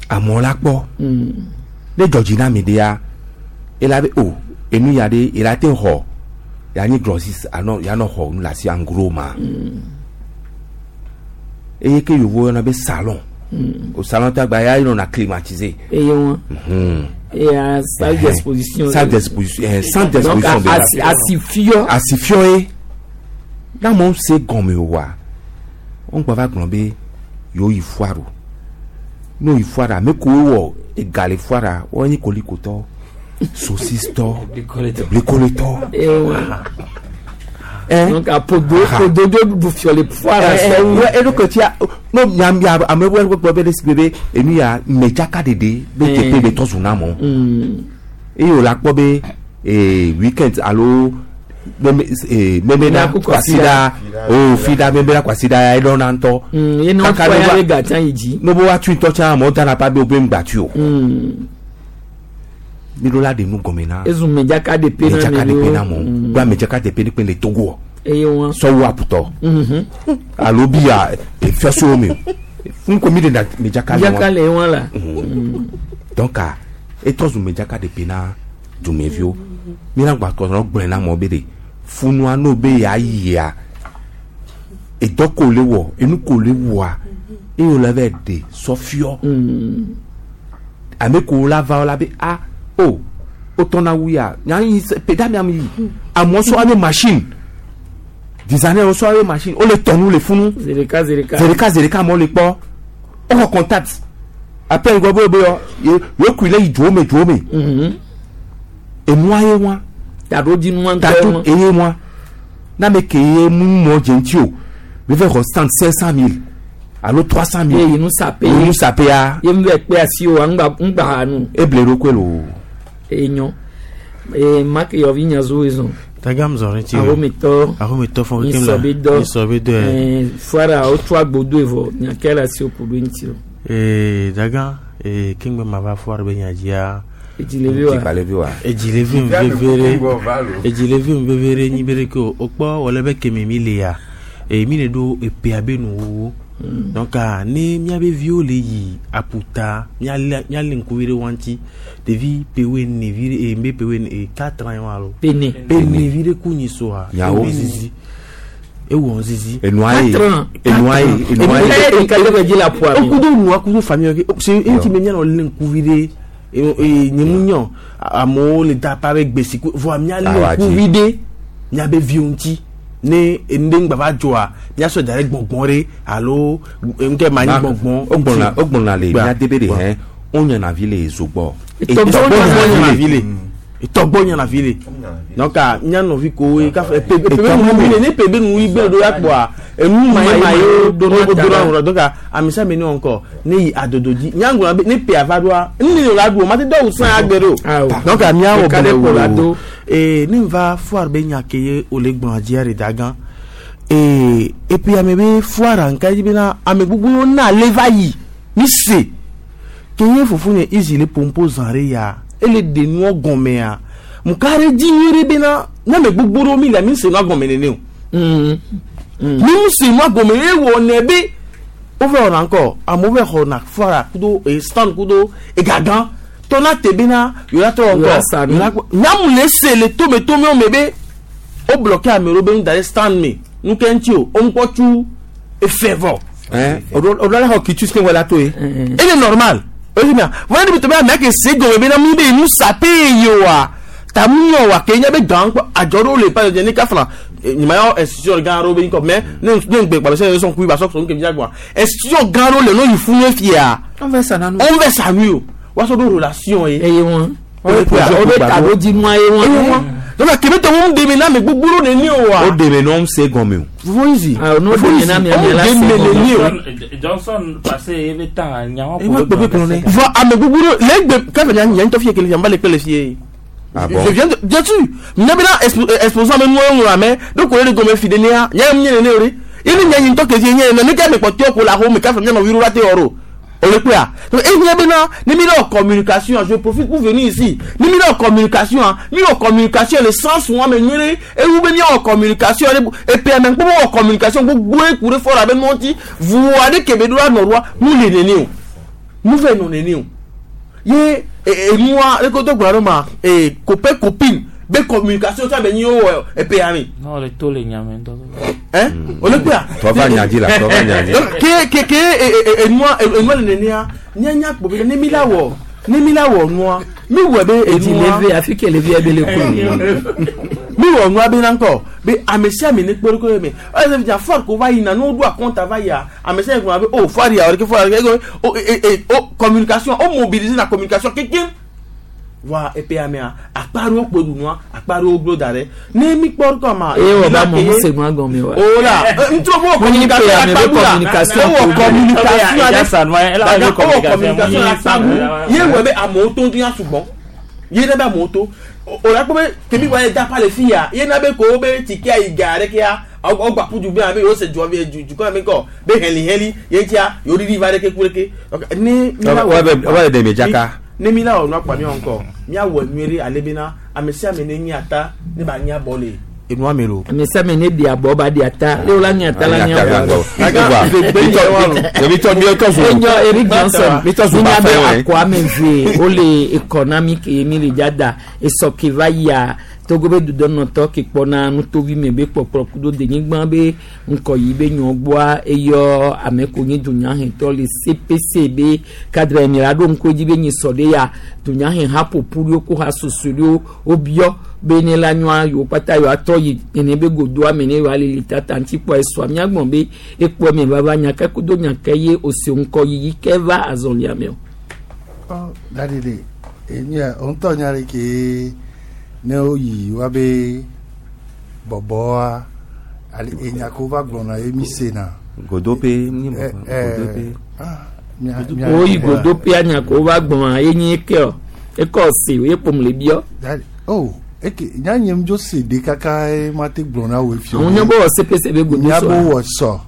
amewo la kpɔ ne dzɔdzi na mi ɖea ela be o enu ya ɖe ela te xɔ ya nyi grossiste anɔ ya nɔ xɔ nu le asi en gros ma eye ke yevuwo yɔna be salon O salon tɔ gba ya yi nɔna climatisé. Eye wọn. Hmm. Et à salle d'exposition. Salle d'exposition eh, centre Donc d'exposition de asi asifiɔ. asifiɔ ye n'a mɔ se gɔme o wa wọn gbɔ va gblɔ be yewo yi foire o n'o yi foire ame kowo wɔ ega le foire wɔn nye kolikotɔ saucisse-tɔ blikoletɔ Eye wọn. ɛn Donc apodo Aha. podo do du fiɔ le foire sɔwu. eɖokɔ tia no nya nya ame wo gbɔ be ɖe si be enu ya medzaka ɖeɖe be teƒe be tɔ zu na mɔ eye wòle akpɔ be ee weekend alo meme ee memena Mena kwasiɖa o fiɖa memena kwasiɖa ya eɖɔna ŋutɔ Ye ne Kaka wofɔ ne ya va- be gata yi dzi. ne bo wa tui ŋutɔ tsã amewo dana pa be wobe ŋgba tui o mi ɖo la ɖe nu gɔme na Ezu medzaka de pe na medzaka ame ɖe pe na ɖewo. mɔ gba medzaka ɖe pe ɖe pe le Togo Eye wọn. sɔwu aputɔ alo biya efiɔsowo me o fún ko mi de na medzaka le Medzaka wɔn le wọn la. donc a etrɔ zu medzaka ɖe pe na dumeviwo mi na gba kɔsɔrɔ gblɔe na mɔ be de funua n'o be ya yia edɔ ko le wɔ enu ko le wɔa eye wòle vɛ de sɔfiɔ ame ko la va la be a o o tɔna wu ya nyanyi peda mi am yi amewo sɔ ame machine designer wo sɔ ame machine o le tɔnu le funu Zereka zereka. zereka zereka amewo le kpɔ wofɔ contact après gbɔ be be yɔ ye ye kui le yi dzowo me dzowo me Mhm. enua ye wa Taɖodzinu ŋutɔ tatu wọn. eye wa n'ame ke ye mu mɔ dze ŋuti o mi fɛ xɔ stand cinq cent mille alo trois cent Ye mille yi nu sape. enu sapea Ye mu bɛ kpe asi o ŋgba ŋgba ha nu. eble ɖokue lo Enyo. Ee make yɔvi nyazu ezɔn. Tagam zɔrin ti Ahometɔ. ahometɔ fɔn kem la Nsɔbedɔ. nsɔbedɔ yɛ Ɛɛ foire wotsɔ agbodo evɔ nyake le asi oku ɖo ŋuti o. ee dagan ee kengbe ma va foire be nyadzia Edzilevi wa. dzikpalevi wa edzilevi mi vevere edzilevi mi vevere nyi be ɖeke o wokpɔ wòle be kemi mi le ya ee mi le ɖo epea be nuwuwu donc ah, ne miabe viwo le yi aƒuta mialé mialé ŋkuvi ɖe wa ŋuti ɖevi pewoe ne vi ɖe ee mbe pewoe ne ee quatre ans ye wa alo Pene. pe ne vi ɖe ku nyi soa Nyawo. ewɔ zizi ewɔ zizi enua ye Quatre ans. enua ye enua ye Eye ɖeka ɖe ƒe dzi le aƒua me. okudo nua kudo famille ke se enti me mianɔ lé ŋkuvi ɖe ee nye mu nyɔ amewo le da pa be gbesi ku vɔa mialé Awa dzi. ŋkuvi ɖe miabe viwo ŋuti ne enu ɖe ŋgba va dzɔa miasɔ da ɖe gbɔngbɔn ɖe alo ŋkɛ ma nyi gbɔngbɔn o gbɔna o gbɔna le Gba. mia de be de Gba. hɛn o nyana vi le zogbɔ Etɔgbɔ nyana vi le etɔgbɔ nyana vi le donc a mia nɔvi kowoe kafe pe pe be nu wi le ne pe be nu wi gbe ɖo ya kpɔa enu ma ye ma ye o do na wòrɔ donc a amisa mi ne wɔn kɔ ne yi adodo dzi nyaŋgblɔ be ne pe ava ɖoa nu ne la ɖu o ma te dɔw sã agbe ɖo Awo. donc a mia wɔ Ɖeka ɖe kpɔ la bɔlɔ do. wo ee ne va foire be nya ke ye o le gblɔ dzia ɖe da gã ee et puis ame be foire nka dzi bena ame gbogbo yiwo na le va yi mi se ke ye fofo nye izi le pompo zã ɖe ya ele de nua gɔmea muka ɖe dzi nyui ɖe bena ne ame gbogbo ɖewo mi le mi se nua gɔme nene o Mm. mi mu se nua gɔme ye wɔ nɛ be wova wɔna ŋkɔ amewo va xɔna foire kudo e stand kudo egagã tɔna te bena yòlá tɔ Yòlá sa ŋkɔ nu. yòlá nyamu le se le tometome me be o bloqué ame ɖewo be nu da ɖe stand me nu ke ŋuti o o ŋkɔ tsu efe vɔ ɛn o do la xɔ kitu ke wɔ la to ye ele normal o si mia vɔn ne bi tɔmɛ ame ke se gɔme bena mi be nu sape ye wa ta mu yɔ wa ke nye be gan kpɔ adzɔ ɖewo le pa ne kafla nyima yɔ institution gã ɖewo be ŋkɔ mais ne ne ŋgbe kpalɔ sɛ sɔn kui ba sɔ sɔn kemi dza institution gã ɖewo le no yi funu fia an fɛ sanna nu on fɛ sanu o wa sɔ do relation ye. Eye wọn. O le projet O be gbàgbọ́. taɖodzinua ye Eye wọn. wa donc kebe tɔ ŋu demi na ame gbogbo ɖewo neni o wa. o de me n'o se gɔme o fofo yi si. Ah, no demi na mi ame la se demi gɔme. neni o. Johnson passé ebe tan nyawo E wa gbɔ be gblɔ ne. Vɔ ame gbogbo ɖewo le egbe kafe nya nya ŋutɔ fie kele fia n ba le kpe le fie. Ah bon? Je viens de bien sûr nya bena expo exposant ame nuwo ŋlɔ ame ɖo ko le gɔme fi ɖe nea nya nye nene o ɖe ye ne nya nyi ŋutɔ ke fie nye nene ke ame kpɔtɔe ko le axome kafe mia nɔvi ɖo la te wɔ ɖo o le kpea donc e nya bena ne mi ɖe wɔ communication je profite pour venir ici ne mi ɖe wɔ communication mi wɔ communication le sens wa me nyuie ɖe ewu be mi wɔ communication ɖe epe ame kpɔ wɔ communication gbogbo eku ɖe fɔ la be nuwo ŋuti vua ɖe ke be ɖo la nɔ ɖoa mu le nene o mu fɛ nɔ nene o ye enua leke wotɔ gblɔ ɖo ma ee copain copine be communication tsa be nyi wo wɔ epe ya mi Non, le to le nyame ŋutɔ. hein o le kpea Tɔva nyadzi la tɔva nyadzi. donc ke ke ke e- e- enua enua le nenea nya nya kpɔ be ne mi la wɔ ne mi la wɔ nua mi wɔ be edi enua leve afi ke levi ebe le ku mi wɔ nua be na ŋkɔ be ame sia ame ne kpɔ ɖokui me ɔyɛ sɛ fia ko va yina ne woɖo akɔnta va yia ame sia ame gblɔna be o foire ya o ɖeke foire ya o o e e o communication o mobiliser la communication kekem voa epe ya mea akpa ɖewo kpo ɖu nua akpa ɖewo glo da ɖe ne mi kpɔ ɖokɔ ma eye wɔ ba mɔ mu se nua gɔme wa o la ntro fo Mo ní communication pe ame be akpa ɖu la communication o wɔ ko- communication Eya ale sa nua, ela daga wɔ o wɔ communication, communication mo ní akpa ɖu ye wɔ be amewo to ŋu ya sugbɔ ye ne be amewo to o la kpɔ be kemi wa ye da pa le fi ya ye na be ko be tikia yi ga ɖe kea ɔgba ƒu du be abe yewo se dua be du dukɔ me kɔ be hɛli hɛli ye ŋutia yewo ɖiɖi va ɖeke ku ɖeke donc ne mi la Wa bɛ wa bɛ dɛmɛ dzaka. ne mi la wɔ nua kpa mi wɔ ŋkɔ miawɔ nyuie ɖe ale bena ame sia ame ne nyi ata ne ba nyi abɔ le enua me lo. ame sia ame ne di abɔ ba di ata le wo la nya ata la nya abɔ Mitɔ mitɔ zu. enyo Eric Johnson Mi tɔ zu mi ba nya be fɛn wɛ. akɔ ame ve wole ekɔ na mi ke mi le dza da esɔ ke va yia Togo be dudɔnɔtɔ ke kpɔna nutovi me be kpɔkplɔ kudo denyigba be ŋkɔyi be nyɔ gbɔa eyɔ ame ko nye dunyahɛtɔ le CPC be cadre mi la ɖo ŋku edzi be nyi sɔ ɖe ya dunyahe haƒoƒu ɖewo ko hasoso ɖewo wobiɔ be ne la nyɔa yewo kpata yewoa trɔ yi nene be godoa me ne yewoa lili tata ŋuti kpɔ esɔa miagbɔn be ekpɔ me vava nyake kudo nyake ye ose ŋkɔyiyi ke va azɔlia me o. Ɔ dadi de enye ŋutɔ nya ɖe ke ne woyi woabe bɔbɔa ale enya ko va gblɔna ye mi sena. Godope. Ɛ ɛ Godope. ah mia mia woyi godoƒea nyake wova gbɔn ye nye ke o ekɔ se ye ƒom le biɔ. Dadi oh eke nya nye ŋdzo se de kaka ye ma te gblɔ na wo fi. àwọn nyɔ bɔ wɔ CPC be godo nya bo sɔ. wɔ sɔ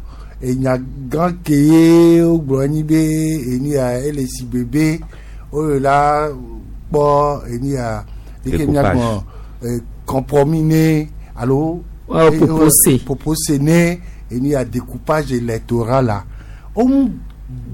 enya gã ke ye wogblɔ nyi be eni ya ele si bebe wo la kpɔ eni ya deke Découpage. miagbɔ eh, compromis ne alo Wa eh, propose. propose ne eni ya découpage électoral la wo mu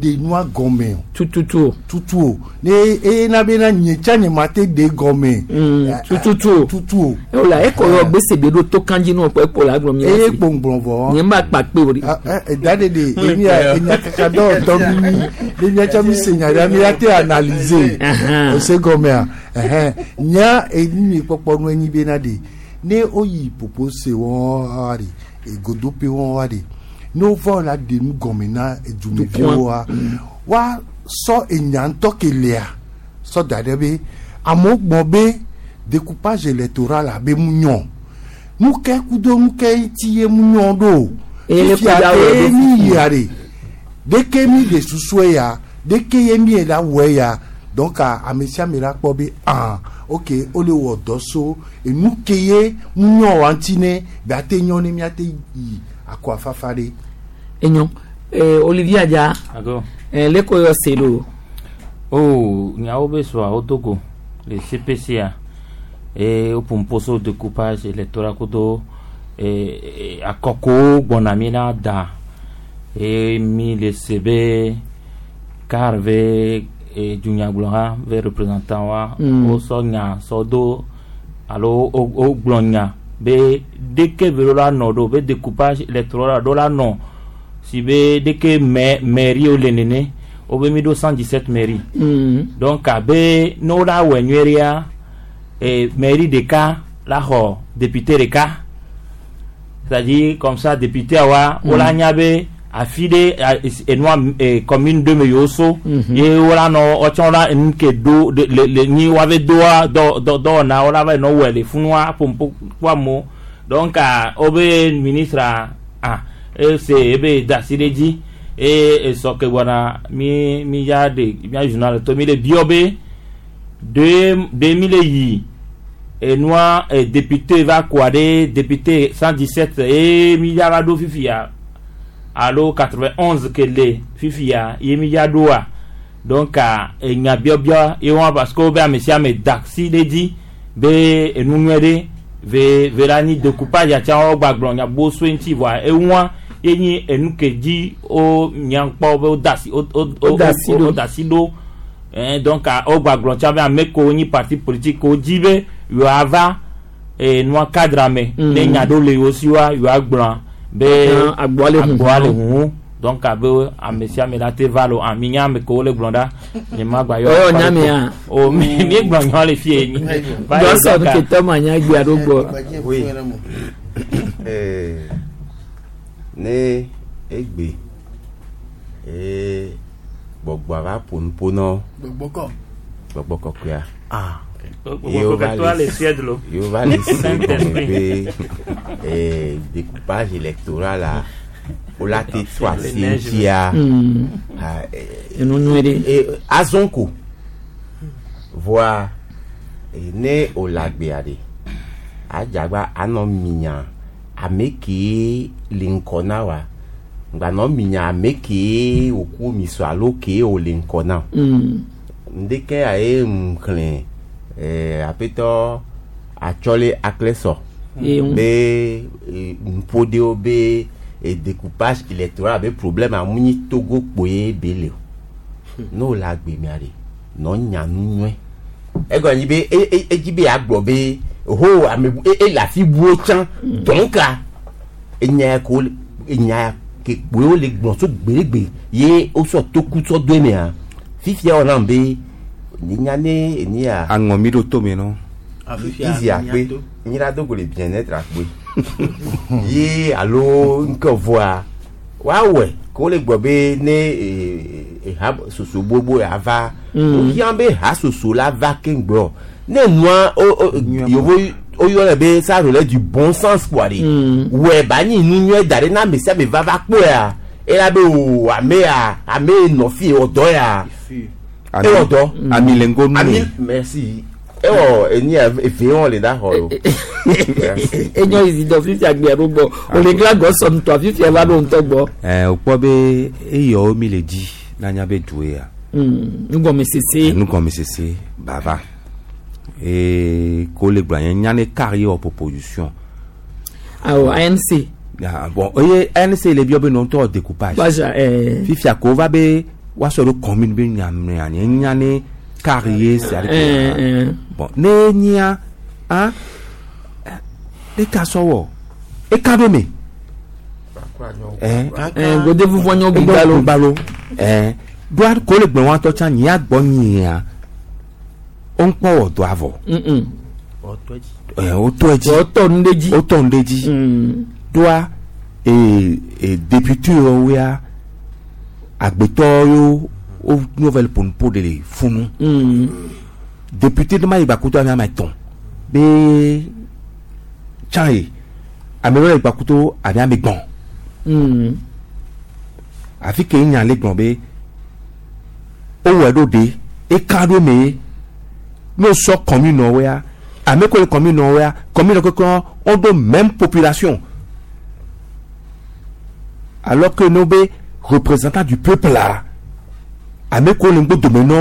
de nua gɔme o tututu o. tutu o ne eye na bena nye tsa nye ma te de gɔme Mm, Eh, eh, tututu o. tutu o Ewola ekɔ yɔ gbèsè be ɖo to kanji nù ɔkpɔ ekpɔ la gblɔ mi eye la se. kpɔngbɔn vɔ. Nye ma kpa kpe o de. Ah, eh, da de de emi ya enya kaka dɔ tɔ mi mi ne miatsa mi se nya ɖe mi ya te analyser Ahan. o se gɔmea ɛhɛn nya eni mi kpɔkpɔ nu enyi bena de ne o yi popo se wɔn wa de egodope wɔn wa de ne o va la de nu gɔme na edumeviwo wa wa sɔ enya ŋutɔ ke lea sɔ da ɖe be amewo gbɔ be découpage électoral abe mu nyɔ nuke kudo nuke ŋuti ye mu nyɔ ɖo Eye le fifia kpe ɖa wɔ ke ɖo mi yia de deke mi de susue ya deke ye mi la wɔe ya donc a ame sia ame la kpɔ be ah ok o le wɔ dɔ so enu ke ye mu nyɔ wa ŋuti ne be ate nyɔ ne miate yi akɔ afafa ɖe. Enyo ee Olivier Adja Ago. ɛɛ leko yɔ se do. Oh, nyawo be sɔa wo Togo le CPC a e wo pomposo découpage électoral kudo e e, akɔkowo gbɔna mi la da e mi le se be car ve e dunyagblɔha ve représentant wa Mm. wo sɔ nya sɔ do alo wo wo gblɔ nya be deke ve ɖo la nɔ ɖo be découpage électoral ɖo la nɔ si be deke mɛ mairie wo le nene wo be mi ɖo cent dix-sept mairie Mm. donc abe ne wo la wɔ nyuie ɖea e mairie ɖeka la xɔ député ɖeka c'est-à-dire comme ça député wa wo la nya be afi ɖe a- es- enua e commune ɖe me yewo so Mhm. ye wo la nɔ wotsɔ la enu ke do de le le nyi woave doa dɔ dɔ dɔwɔna wo la va yi nɔ wɔe le funua pompo kpɔ amewo donc a wobe ministre a ah ese ebe da asi ɖe dzi eye esɔ ke gbɔna mi mi ya de mia journal to mi le biɔ be de de mi le yi enua eh, député va koa ɖe député cent dix-sept eye mi ya va ɖo fifia alo quatre-vingt-onze ke le fifia ye mi ya ɖoa donc a enya biɔbiɔ ye wɔn parce que wo be ame sia ame da si ɖe dzi be enu nyuie ɖe ve ve la nyi découpage atsa wo gbagblɔ nya bo so ŋuti voa eŋua ye nyi enu ke dzi wo nyankpɔ be wo da si wo wo Wo da asi wo ɖo. wo da asi ɖo ɛn donc a wo gbagblɔ tsa be ame kewo nyi parti politique wo dzi be yewoava eh, nua cadre me Mm. ne nya ɖewo le yewo si wa yewoa gblɔa be Ah, agboa le huhu. agboa le huhu donc abe ame sia ame la te va lo ami nya ame kewo le gblɔ ɖa nye ma gba yɔ Ɔyɔ nya mea? o mi mi gblɔ nya le fie nyi Va yi Gɔsɔ donc, ke tɔ ma nya gbea ɖo gbɔ. Oui. Eh, ne egbe ee gbɔgbɔa va ƒo nuƒo nɔ gbɔgbɔkɔ gbɔgbɔ kɔkɔea ah Yewo va Gbɔgbɔ le le Suède lo yewo va le se gɔme Saint-Esprit. be eh, découpage électoral la wola te tɔ asi neige. ŋutia Mm. ah, eh, Enu nyuie ɖe. e azɔn ko voa e, ne o le agbea ɖe adzagba anɔ minya ame kee le ŋkɔ na wa gbanɔ minya ame kee wòku miso alo kee wò le ŋkɔ na o Mm. ŋdeke ya ye ŋxlẽ eh, aƒetɔ atsɔle aklesɔ Ye ŋu. be eh, nuƒo ɖewo be eh, découpage électoral be problème amu nyi togo kpoe be le o ne wòle agbe mea ɖe nɔ nya nu nyuie egɔme nyi be e- e- edzi be yeagblɔ be ho ame bu e ele afi buwo tsã donc a enya ya ko wole- enya ya ke kpoe wole gblɔ tso gbeɖegbe ye wosɔ toku sɔ do emea fifia wɔ nam be nya ne eni ya aŋɔ mi ɖo tome nɔ izi akpe nyira dogo le bien-être akpe ye alo nke vɔa woawɔe ko wole gblɔ be ne eh, eh, ha soso gbogbo ya va wohiã be ha soso la va keŋgbɔ ne nua o- o- yovo woyɔnɛ be ça relève du bon sens quoi de wɛ ba nyi nu nyuie da ɖe na ame sia ame va va kpɔea ela be o ame ya ame nɔ fi wɔ dɔ ya ewɔ dɔ ami le ŋgo nu ami merci ewɔ eni ya eve wɔn le da xɔ lo Merci. Enyo izi dɔ fifia gbea ɖo gbɔ. Ole gla gɔsɔ ŋutɔ fifia va ɖo ŋutɔ gbɔ. ɛɛ wòkpɔ be eyɔwo mi le dzi nanya be du ya Mm. Nugɔmesese. nugɔmesese bava ee ko le gblɔ nye nya ne kar ye wɔ proposition Awɔ ANC. Ah, bon eye nc le biɔ be nɔ ŋutɔ découpage Gbaza ɛɛ. fifia ko va be woasɔ ɖo commune be nyamea nye nya ne kar ye sia ɖe Ɛɛ ɛɛ. bon ne nyia ah ne ka sɔ wɔ eka ɖo me ɛɛ Ɛɛ gode vuvɔ nyɔ gbigbalo. gbalo ɛɛ doa ko le gblɔ wɔn tɔ tsã nyia gbɔ nyia wo ŋkpɔ wɔ do avɔ Mm. ɛɛ wotɔ edzi Wọ́tọ̀ nu ɖe dzi. wotɔ nu ɖe dzi Mm. doa ee ee député yewo ya agbetɔ yewo wo nouvelle ƒonuƒo ɖe le funu Mm. député ɖe ma yi gbakuto ame ame etɔ̃ be tsã ye ame ɖewo le gbakuto ame ame gbɔ̃ Mm. afi ke nya le gblɔ be wowɔe ɖo ɖe eka ɖo me ye n'o sɔ commune wo ya ame ko le commune wo ya commune keke wo ɖo même population alors que no be représentant du peuple la ame ko le ŋgbo dome nɔ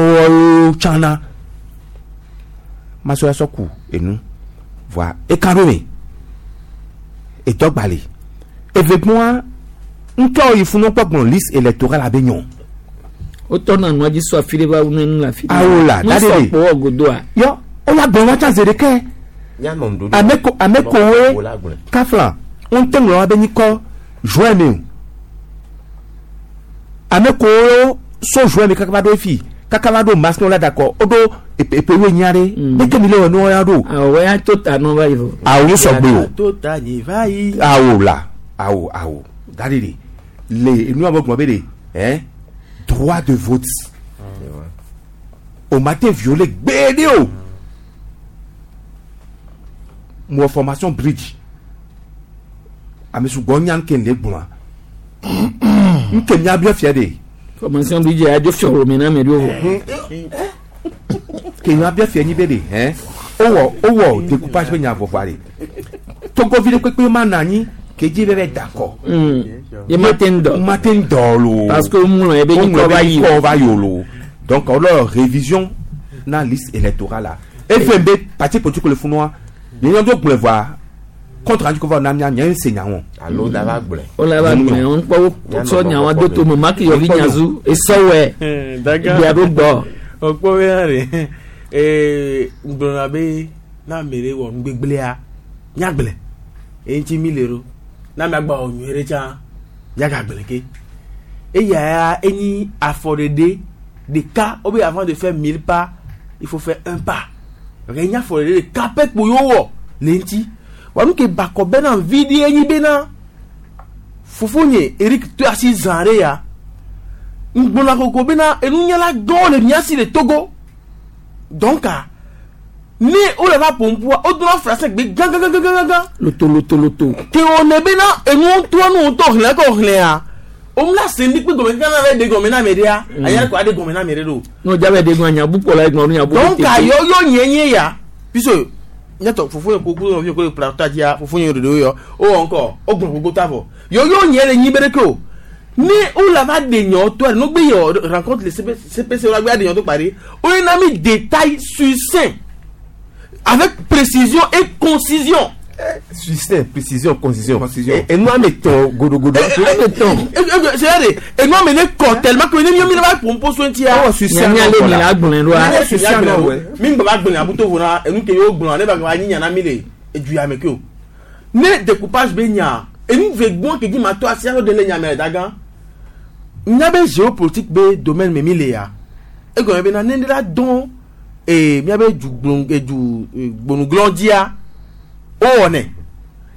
wo tsana masɔ ya sɔ ku enu voa eka ɖo me etɔgba le evegbɔa ŋutɔ yi funu kpɔ gblɔ liste électorale abe nyɔ Wotɔ na nua dzi sɔ afi ɖe va wu nenu le afi ɖe. Awo la, Nu da ɖe sɔ ɖe. kpo wɔ godoa. yɔ woya gblɔ wa tsã zi ɖeke Nyanɔ nuɖuɖu. ame ko ame kowoe Wo la gblɔe. kafla ŋutɛ ŋlɔ wa be nyikɔ juin me o ame kowo so juin me kaka va ɖo efi kaka va ɖo mars ne wo la da kɔ woɖo epe epewo nya ɖe ɖeke mi le wɔ ne wo ya ɖo Awɔ ya to ta nɔ va yi vɔ. awo sɔgbe o tó ta yìí báyìí. awo la awo awo da de de le enu abe gblɔ be de hein droit de vote o ma te violer gbeɖe o mo wɔ formation bridge ame sugbɔ nya nke le gblɔa nke mia biɔ fia de Formation bi dze adzo fiɔ me na ame ɖewo vɔ. ke mia biɔ fia nyi be de hein wowɔ wowɔ découpage be nya vɔvɔa de togovi ɖe kpekpe ma nɔ anyi kedzi be bɛ da kɔ Mm. Ye ma te ŋu dɔ. ma te ŋu dɔ lo. Parce que ŋlɔ ye be nyikɔ va yi. kɔ va yi o lo donc alors révision na liste électorale la efɛn be parti politique le funua nye do gblɔe vɔa contre rendu ko va na mia nye se nya wɔn. Alo da va gblɔe. Wole va gblɔe wɔn kpɔ wo sɔ nyawa do to me maki yɔvi nyazu esɔwɛ daga gbea ɖo gbɔ. ọ̀pọ̀ bẹ́ẹ̀ rẹ̀ ee gblɔna be na ame ɖe wɔ nugbegblẽa Miagblẽ eyi ŋuti mi le ɖo na miagba wɔ nyuie ɖe tsã miagagblẽ ke eya ya enyi afɔɖeɖe ɖeka wobe avant de faire mille pas il faut faire un pas donc enyi afɔɖeɖe ɖeka pɛ kpo yewo wɔ le ŋuti wa nu ke bakɔ bena vi ɖe enyi bena fofonye Eric to asi zã ɖe ya ŋgbɔna koko bena enunyala gãwo le mía si le Togo donc ah, ne wole va ƒoƒua wodona français gbe gãgãgãgãgã loto loto loto ke wòne bena enuwo ŋutɔ nu ŋutɔ xlẽ kɔ xlẽa womla se ndi kpe gɔme kaka na ɖe gɔme na ame ɖea aya ko aɖe gɔme na ame ɖe ɖo n'o jabɛ de ŋun anyabu kpɔ la ŋun anyabu donc yɔ yɔ nye nye ya puisque nyatɔ fofonye ko kudo nɔvi ko le plateau dzia fofonye ɖeɖewo yɔ wowɔ ŋkɔ wogblɔ gbogbo ta vɔ yɔ yɔ nye le nyi be ɖeke o ne wole va ɖe nyɔ tɔ ɖe nogbe yɔ rencontre le CPC wole gbe aɖe nyɔ to kpa ɖe woyina mi détail succinct avec précision et concision. Succinct, précision, concision. Concision. Et, et nous, on met ton godo godo. c'est-à-dire enua me ne kɔ tellement que ne mi mi va pompo so ŋutia. Oh, succinct. nyanya le mi la gblɔe ɖoa Succinct, non, ouais. mi ŋgbɔ va gblẽ abuto vo na enu ke yewo gblɔ ne ba va nyi nya na mi le edu ya me ke o ne découpage be nya enu ve gbɔn ke dzi ma to asi aɖo de le nya me le dagã nya be géopolitique be domaine me mi le ya egɔme be na ne ne la dɔn ee miabe du gblon edu gbonuglɔn dzia wowɔnɛ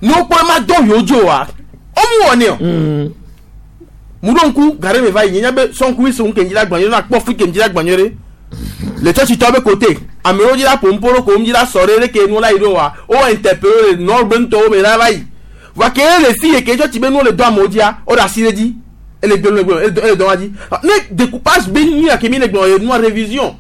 ne wokpɔ ma dɔn yewo dzi oa womu wɔnɛ o mu ɖo ŋku gare me va yi nye nya be sɔnku yi ke ŋdzi la gbanyɔ na kpɔ fi ke ŋdzi la gbanyɔ ɖe le tsɔtsitɔ be côté amewo dzi la ƒom ƒo ɖo ko ŋdzi la sɔ ɖe ɖe ke nu la yi ɖo wa wo interpellé le nord be ŋutɔwo me la va yi va ke le fi yi ke tsɔtsi be nuwo le dɔ amewo dzia wo ɖe asi ɖe dzi ele gbe ele gbe ele dɔn wa dzi ne découpage be nu ya ke mi le gblɔ ye nua révision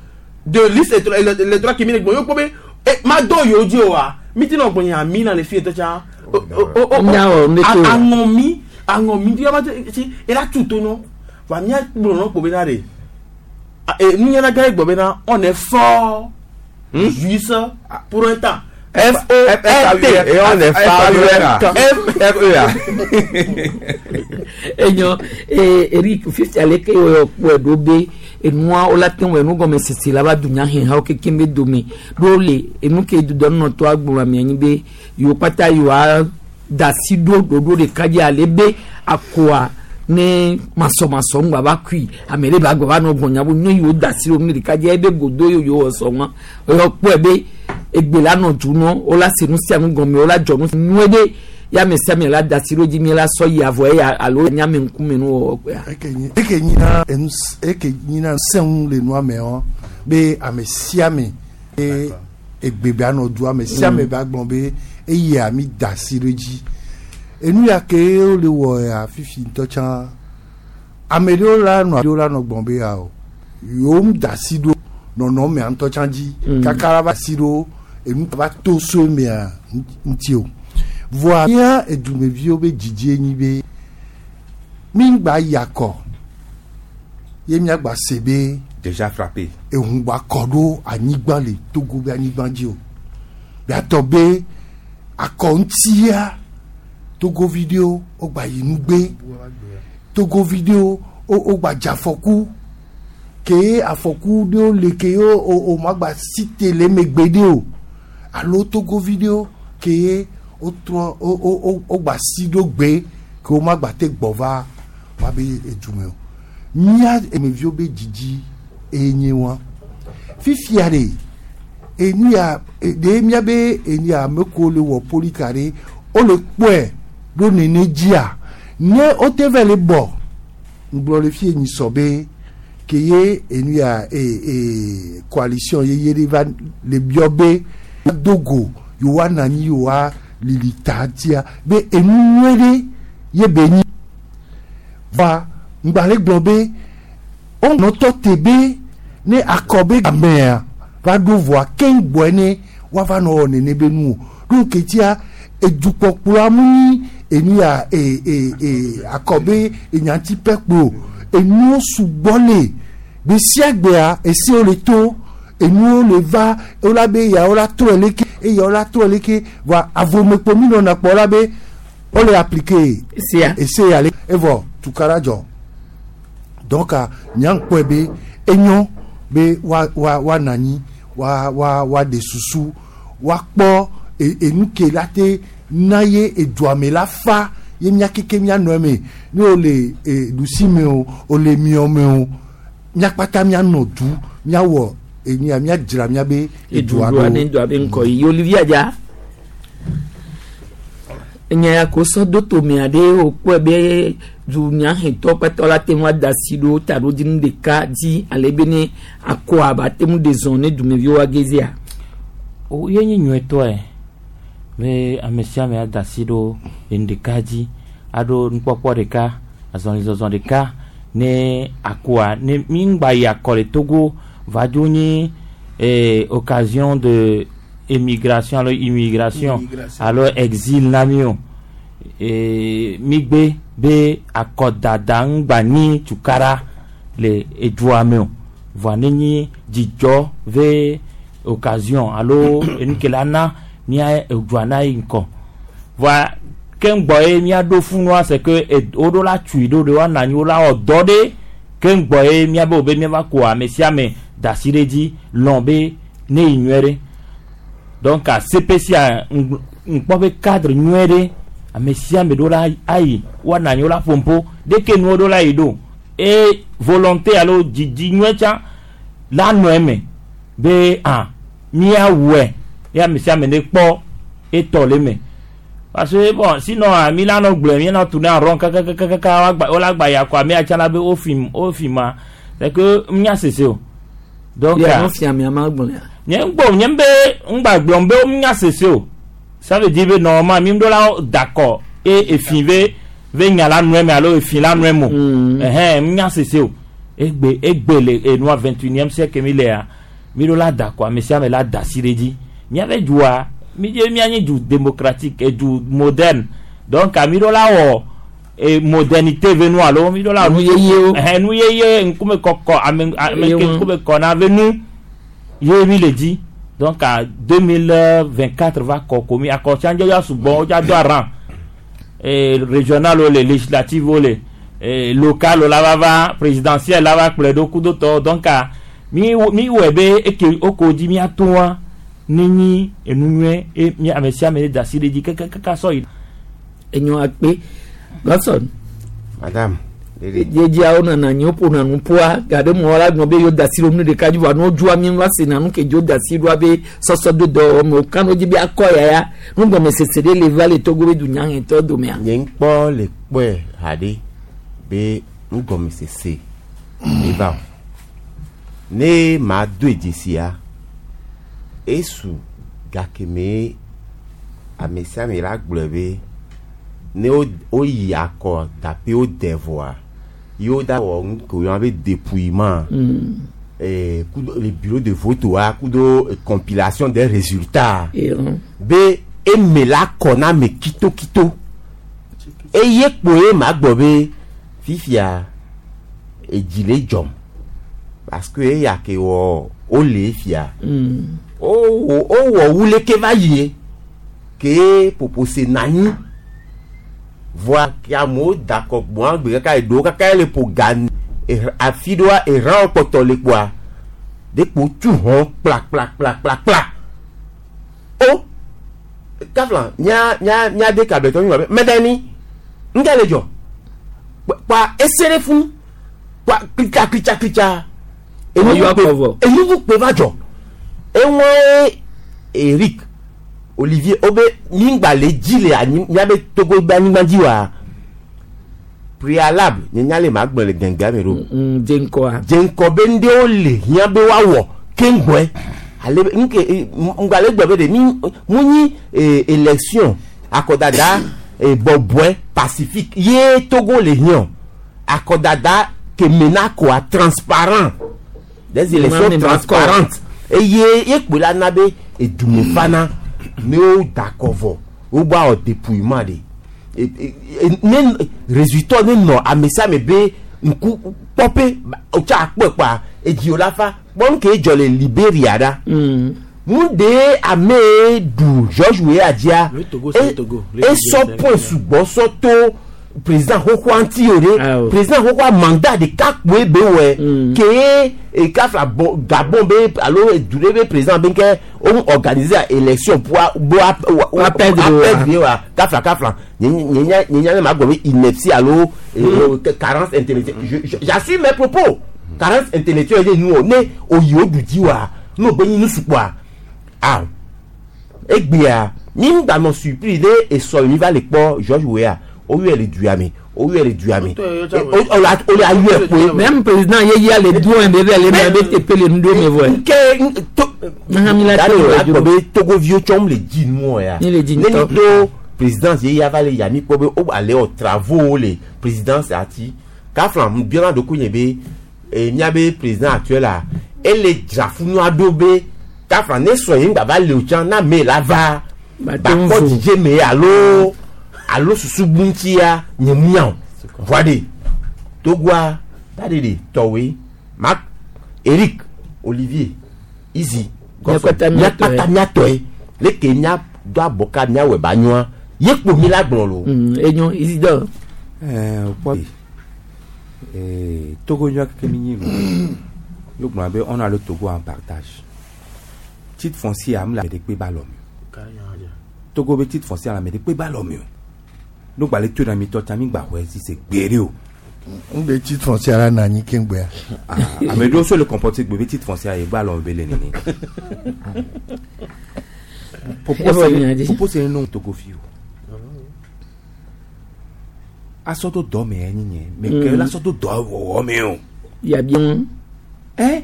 de liste électorale ke mi le gblɔ yewo kpɔ be e ma dɔn yewo dzi o wa mi ti nɔ gbɔnya mi na le fi yetɔ tsã o o o Nya wɔ ne to. aŋɔ mi aŋɔ mi ti ma ti ela tu to nɔ wa mía gblɔ nɔ kpo bena de e nunyala gã ye gbɔ bena on est fort juste pour un temps F O R T Et on est fort. F F E A. enyo ee Eric fifi ale ke yɔ kpɔe ɖo be enua wola te ŋu enu gɔme sese la va dunya hɛn hawo kekem be dome ɖo le enu ke dudɔnɔtɔ agblɔ ami anyi be yewo kpata yewoa da asi ɖo ɖoɖo ɖeka dzi ale be akoa ne masɔmasɔ ŋgba va kui ame ɖe ba gbɔ va nɔ gbɔnya bo ne yewo da asi ɖo nu ɖeka dzi ebe godo yewo yewo wɔ sɔ ŋua eyɔ kpɔe be egbe la nɔ du nɔ wola se nu sia nu gɔme wola dzɔ nu nyuie ɖe ya ame sia ame la da asi ɖo dzi mi la sɔ yi avɔ eya alo nyame ŋkume nu wɔwɔ kpea. eke nyi eke nyina enu s- eke nyina sɛŋu le nua me wɔ be ame sia ame be egbe be anɔ du ame sia ame be agblɔ be eya mi da asi ɖe dzi enu ya ke wole wɔ ya fifi ŋutɔ tsã ame ɖewo la nɔ ɖewo la nɔ gblɔm be ya o yewo mu da asi ɖo nɔnɔmea ŋutɔ tsã dzi kaka la va asi ɖo enu va to so mea ŋuti o voa mía edumeviwo be dzidzie nyi be mi ŋgba yi akɔ ye miagba se be Déjà frappé. ehun gba kɔ ɖo anyigba le Togo be anyigba dzi o biatɔ be akɔ ŋutia Togovi ɖewo wogba yi nugbe Togovi ɖewo wo wogba dze afɔku ke afɔku ɖewo le ke wo o o magba si te le megbe ɖe o alo Togovi ɖewo ke wotrɔ wo wo wo wogba si ɖo gbe ke wo magba te gbɔ va va be edume o mía emeviwo be dzidzi eye wa fifia ɖe enu ya e- ɖe míabe enu ya ame kewo le wɔ polika ɖe wole kpɔe ɖo nene dzia ne wote va le bɔ ŋgblɔ le fie nyi sɔ be ke ye enu ya e e coalition yeye ɖe va le biɔ be do go yewoa nɔ anyi yewoa lili ta tia be enu nyuie ɖe ye be nyi va ŋgba le gblɔ be wonɔtɔ te be ne akɔ be gamea va ɖo vɔa keŋ gbɔe ne woava nɔ wɔ nene be nu o ɖo ketia edukpɔkplɔa mu nyi enu ya e e e akɔ be enyanti pɛ kpo enuwo sugbɔ le gbe sia gbea esiwo le to enuwo le va wola be ya wola trɔe leke eya wola trɔe leke voa avomekpo mi nɔna kpɔ la be wole appliquer sia ese ya le evɔ tukara dzɔ donc a nyankpɔe be enyo be wa wa wa nanyi wa wa wa de susu wa kpɔ E- enu ke la te na ye edua me la fa ye mía keke mía nɔ eme ne o le e, ɖusi me o o le miɔ me o mía kpata mía nɔ du míawɔ enia míadzra míabe edua edua ɖo ne dua be ŋkɔ yi Olivier dza enya ya ko sɔ do tomea ɖe wòkpɔe be dunyahetɔ kpatɔ la te ŋu ada asi ɖo taɖodzinu ɖeka dzi ale be ne akɔa ba te ŋu ɖe zɔn ne dumeviwo agezia O ye nye nyuietɔe be ame sia ame ada asi ɖo enu ɖeka dzi aɖo nukpɔkpɔ ɖeka azɔlizɔzɔ ɖeka ne akoa ne mi ŋgba yi akɔ le Togo va dzo nyi eh, occasion de émigration alo immigration Immigration. alo exil na mi o eh, mi gbe be akɔdada ŋgba nyi tukara le edua me o voa ne nyi dzidzɔ ve occasion alo enu ke la na mía edua na yi ŋkɔ voa ke ŋgbɔ ye míaɖo funua c'est que ed- woɖo la tui ɖo ɖe woanɔ anyi wo la wɔ dɔ ɖe ke ŋgbɔ ye míabe wo be míava ko ame sia ame da asi ɖe dzi lɔn be ne yi nyuie ɖe donc a CPC a ŋ- ŋkpɔ be cadre nyuie ɖe ame sia ame ɖo la ayi woanɔ anyi wo la ƒompo ɖeke nuwo ɖo la yi ɖo e volonté alo dzidzi nyuie tsã la nɔ eme be ah míawɔe ye ame sia ame ne kpɔ etɔ le eme parce que bon sinon ah, mi la nɔ gblɔe mi nɔ tourner en rond kakakakaka woagba wola gba ya kɔ ame atsa la be wo fi wo fi ma c'est que nya sese o donc ya ah, no fia mia ma gblɔ ya nye ŋgbɔ nye be ŋgba gblɔm be nya sese o ça veut dire be normalement mi ɖo la dakɔ e efi be be nya la nɔe me alo efi la nɔe mo Mm. ɛhɛn nya sese o egbe egbe le enua vingt unième siècle mi lea mi ɖo la dakɔ ame sia ame la da asi ɖe dzi miabe dua mi dze mianye du démocratique edu moderne donc mi ɖo la wɔ e modernité ve nu alo mi ɖo la Nu yeyewo. ɛhɛn nu yeye ŋkume kɔkɔ ame ame ke Yewo. ŋkume kɔ na ve nu ye mi le dzi donc à deux mille vingt quatre va kɔ komi akɔ tsãdze ya sugbɔ wodza do aran eh, régional wo le législative wo le eh, local wo la va va présidentiel la va kplɔe ɖo kudo tɔ donc à mi mi wɔe be eke woko dzi miato wa ne nyi enu nyuie e mi ame sia ame da asi ɖe dzi kakakaka sɔ yi. enyo akpe Godson madame lele dziedziawo nana anyi woƒona nu ƒoa gaɖe mɔ la gblɔ be yewo da asi ɖo nu ɖeka dzi vɔa ne wodzua mi va sena nu ke dzo da asi ɖoa be sɔsɔ do dɔ me wokan ɖo dzi be akɔ yaya nugɔmesese ɖe le va le Togo be dunyahetɔ domea nye ŋkpɔ le kpɔe haɖe be nugɔmesese le va o ne ma do dzesia esu gake ame sia ame la gblɔe be ne wo woyi akɔ dape wo de vɔa ye wo da wɔ nu ke woyɔna be dépouillement eh, kudo le bureau de vote wa kudo eh, compilation des résultats Ehun. be eme la kɔ na ame kitokito eye kpoe ma gbɔ be fifia edzi le dzɔm parce que eya ke wɔ wole fia Mm. wowɔ wowɔ wu leke va yie ke popose na anyi voa ke amewo da akɔ gbɔn agbe kaka eɖewo kaka le ƒo ga eh, afi ɖewoa erãwo kpɔtɔ le kpoa de kpo tu hɔn kpla kpla kpla kpla kpla o kafla mía mía mía de kabletɔ mi wɔ be mɛdɛ ni ŋkɛ le dzɔ kpa ese ɖe fún kpa klitsa klitsa klitsa Wọ́n yọ akɔ vɔ. enuvu kpe va dzɔ eŋɔe Eric Olivier wobe migba le dzi le anyi miabe Togo be anyigba dzi wa préalable nye nya le ma gblɔ le gɛngɛa me ɖo Mm, dze ŋkɔa dze ŋkɔ be ŋɖewo le hiã be woawɔ keŋgbɔe ale be nke e, ŋgba le gblɔ be ɖe mi mu nyi e, élection akɔdada e, bɔbɔe pacifique ye Togo le hiã akɔdada keme na koa transparent des élections Ma me ma transparentes eye ye kpe la na be edume fana ne wo da akɔ vɔ wo bɔ awɔ dépouillement de E- e- e- ne résultat ne nɔ ame sia ame be ŋku kpɔpe wotsa akpɔe kpoa edzi wo la fa kpɔ nu ke dzɔ le Liberia ɖa Mm. nu de ame ɖu George Weah dzia Le Togo, c'est le Togo. Le esɔ Togo, point c'est le sugbɔ sɔ to président xoxoa ŋuti o Ah, ɖe o. président xoxoa mandat ɖeka kpoe be wɔe Mm. ke e kafla bon gabon be alo du ɖe be président be ke wo organiser élection pour bo a Wa perdre wa. perdre wa kafla kafla nye nye nya nye nya ne ma gblɔ be ineptie alo eh, carence intellectuelle Je- je- j'assume mes propos carence intellectuelle ye nu o ne oyi o du dzi wa ne o be nyi nu sukpɔa ah egbea mi ŋgba nɔ surpris ɖe esɔ mi va le kpɔ george weah woyɔe le dua me woyɔe le dua me o o la o la yɔe kpoe même président ye ya le do be be le me be tepe le nu do me vɔ nke to Nahã mi la dani to o la wɔ gbɔ be togoviwo tsɔm le dzi nuɔ ya Mi le dzi ne ŋutɔ. mi to présidence ye ya va le ya mi kpɔ be wo ale wɔ travaux le présidence ati kafla mu biɔna ɖokui nye be eh, miabe président actuel la ele dzra funua ɖo be kafla ne sɔ ye ŋgba va le o tsã na ame la va Ba te ŋu bakpɔ vo. dzidze me alo alo susu bu ŋutia nye mu nya o voa de togoa ta de de tɔwoe mark eric olivier izi Miakpata miatɔe. miakpata miatɔe leke mia do abɔka miawɔe ba nyoa ye kpo mi la gblɔ lo. Mm, enyo isidore Eh, kpɔ eh, Togo nyɔ keke mi nyi lo yo gblɔ be on a le Togo en partage titre foncier am le ame ɖe kpe ba lɔ mi o Togo be titre foncier le ame ɖe kpe ba lɔ mi o no gba le to na mi tɔ tsa mi gba xɔe si se gbe ɖe o n bɛ titre foncier la na anyi keŋgbea Ah, ame ɖewo so le comporter gbe be titre foncier ye gba lɔ mi be le nene Evɔ nya dzi. popo se no Togo fi o asɔ to dɔ me enyi nye me ke la sɔ to dɔ wɔwɔ me o. yabi ŋu ɛ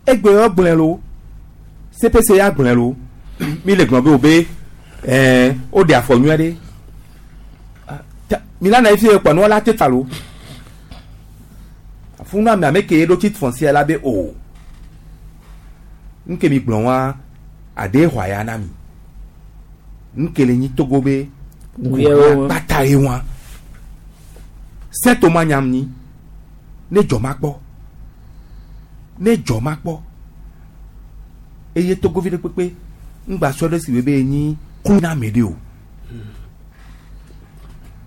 egbe yɔ gblẽ lo cpc ya gblẽ lo mi le gblɔ be o be ɛɛ o de afɔ nyuie ɖe Ah, ta- mi la na efi kpɔ nua la te ta lo funu ame ame ke ɖo titre foncier la be o nke mi gblɔ wa ade xɔ ya na mi nke le nyi togo be Ŋuyewo. kpata ye wa sɛto ma nyam ni ne dzɔ ma kpɔ ne dzɔ ma kpɔ eye togovi ɖe kpekpe ŋgba sɔ ɖe si be be nyi ku na ame ɖe o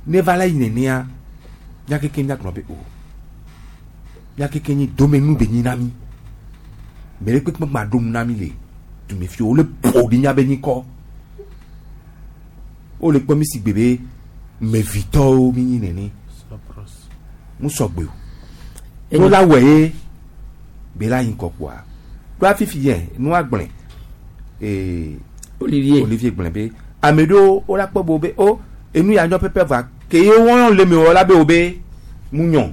ne va la yi nenea mía keke mía gblɔ be o mía keke nyi domenu be nyi na mi me ɖe kpekpe gba ɖo nu na mi le dumefi wo le ƒo ɖi mía be nyikɔ wo le kpɔ mi si gbe be mevitɔwo mi nyi nene mu sɔgbe o Enyo. wo la wɔ ye be la yi ŋkɔ kpoa ɖo afifi yɛ nua gblẽ ee olivier olivier gblẽ be ame ɖewo wo la kpɔ bo be o enu ya nyɔ pɛpɛ va ke ye wɔn le mi wɔ la be o be mu nyɔ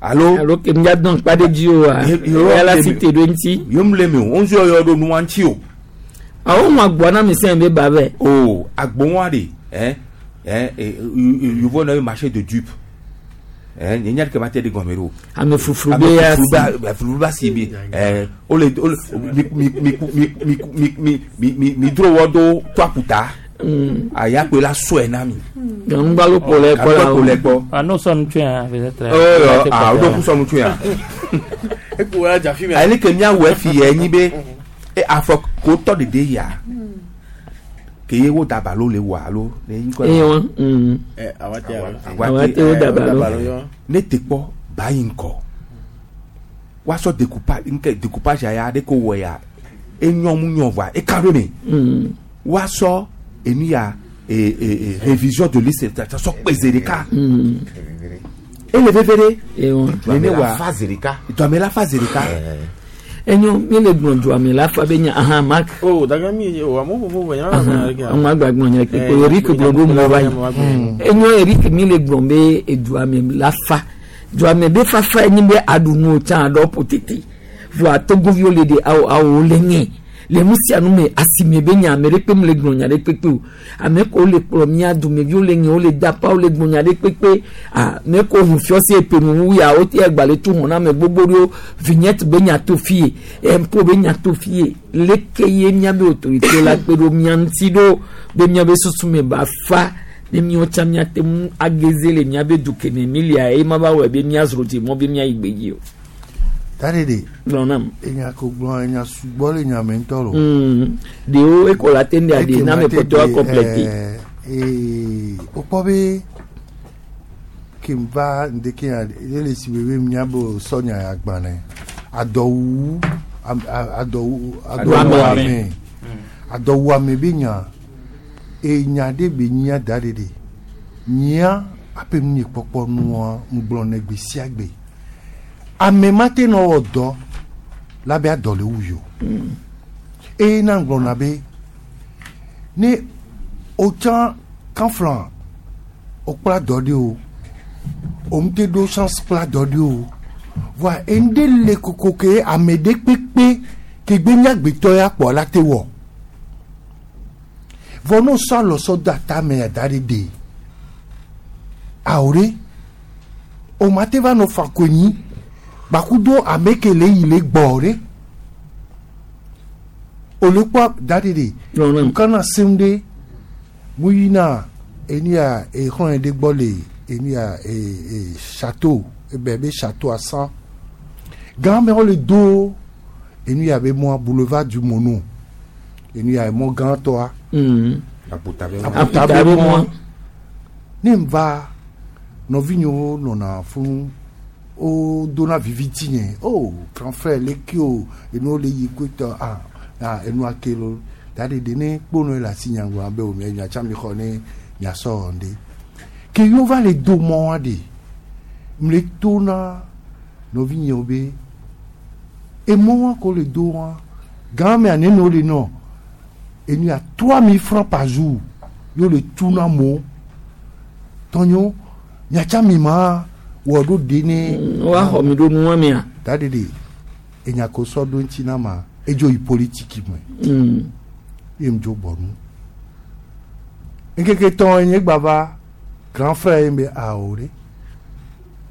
alo alo ke mia dɔn kpa ɖe dzi o wa Ye- ye- ya la ye- si te ɖo ŋuti yom le mi o ŋu yɔ ɖo nua ŋuti o awo ŋu agbɔ na mi sɛn be ba vɛ o agbowã de ɛ ɛ yovo na ye marché de dupe ɛ nye nya ɖeke ma te ɖe gɔme ɖo. ame fufuru be ya si fufu ba si mi ɛ o le o le mi mi mi mi mi mi mi mi mi mi dro wɔ do to aƒuta aya koe la sɔe na mi. ganugbalo kpo le kpɔ la Ganugbalo o le gbɔ. Ah, non, ça nous tue, hein, peut-être. ɔ ɔ o do kusɔnu tún yan. Ekpo ya dza fi mea. ayi ke miawɔ efi yɛ nyi be e afɔ ko tɔ dede ya ke ye wo daba lo le wɔ alo ne yi kɔ eye wɔn mm. Ɛ awa te alo. Awa te wo daba lo. yɔ. ne te kpɔ ba yi ŋkɔ woasɔ découpage nke découpage ya de ko wɔ ya enyɔ mu nyɔ vɔa eka ɖo me Mm. woasɔ enu ya e e e révision de liste ta ta sɔ kpe zi ɖeka Mm. ele veve ɖe eye wɔn nene wa phase ɖeka. dɔme la fa zi ɖeka enyo mi le gblɔ dua mi la fa be nya ahan mark O daga mi ye o amewo vovovo nya ma gblɔ ɖeke. àwọn agbagbɔn yẹn kpekpe eric gblɔ ɖo mɔ va yi enyo eric mi le gblɔ be edua mi la fa dua mi be fafa enyi be aɖunu tsã aɖɔ potete voa togoviwo le de awo awo le nye le nu sia nu me asime be nya ame ɖe kpe mu le gblɔ nya ɖe kpekpe o ame ko le kplɔ mía dumeviwo le nye wo le dapa wo le gblɔ nya ɖe kpekpe ah ame ko ʋu fiɔsi epenu wu ya wo te agbalẽ tu hɔn na ame gbogbo ɖewo vignette be nya to fie impôt be nya to fie leke ye míabe autorité la kpe ɖo mía ŋuti ɖo be míabe susu me ba fa ne míawo tsã míate ŋu ageze le míabe du keme mi lia eye ma va wɔe be míazro dzi mɔ be míayi gbedzi o tari de gblɔ nam. enya ko gblɔ enya sugbɔ le nya me ŋutɔ lo. Mm. ɖewo ekola te ŋu ɖe aɖe Eke na ma ame te kpɔtɔ de, akɔmplɛte. eh, eh, wokpɔ be Ke va ŋdeke ya ele si bebe miabo sɔnya agbalẽ adɔwu am- a- adɔwu adɔwuame adɔwuame be nya enya ɖe be nyia da ɖe ɖe nyia aƒe nu nye kpɔkpɔ nua ŋgblɔ ne gbe sia gbe ame ma te nɔ wɔ dɔ la be adɔ le wu yi o eye na ŋgblɔna be ne wotsã kanflan wokpla dɔ ɖe o òun te ɖo chance kpla dɔ ɖe o voa ende le koko ke ame ɖe kpekpe ke gbe nyagbetɔ ya kpɔ la te wɔ vɔ n'o sɔ alɔ sɔ do atame ya da ɖe de awo ɖe o ma te va nɔ fa konyi gbakudo ame ke le yi le gbɔ ɖe o le kpɔ da ɖe de Lɔnà. nkana sem ɖe mu yina eni ya exɔn ɖe gbɔ le eni ya e e château ebe be château à cent gã me wo le do enu ya be mɔ boulevard du Mono enu ya mɔ gãtɔa Mm. Aputa be Aputa Aputa be be mɔ mɔ. ne n va nɔvinyewo nɔna fún wo dona viviti nye oh grand frère leke o enuwo le yi kpetɔ ah ah enua ke lo da de de ne kpono le asi nyagblɔ be o mɛ miatsa mi xɔ ne miasɔ wɔ ɖe ke yewo va le do mɔa de m le to na nɔvinyewo be emɔ wa ko le do wa gã mea nene wo le nɔ enu ya trois mille francs par jour yewo le tu na mo tɔnyo miatsa mi ma wɔ ɖo de ne Wa xɔ mi ɖo nua mea. da de de enya ko sɔ ɖo ŋuti na ma edzo yi politiki me Mm. ye ŋdzo bɔ nu ŋkeke tɔn nye gba va grand frère ye be awo ɖe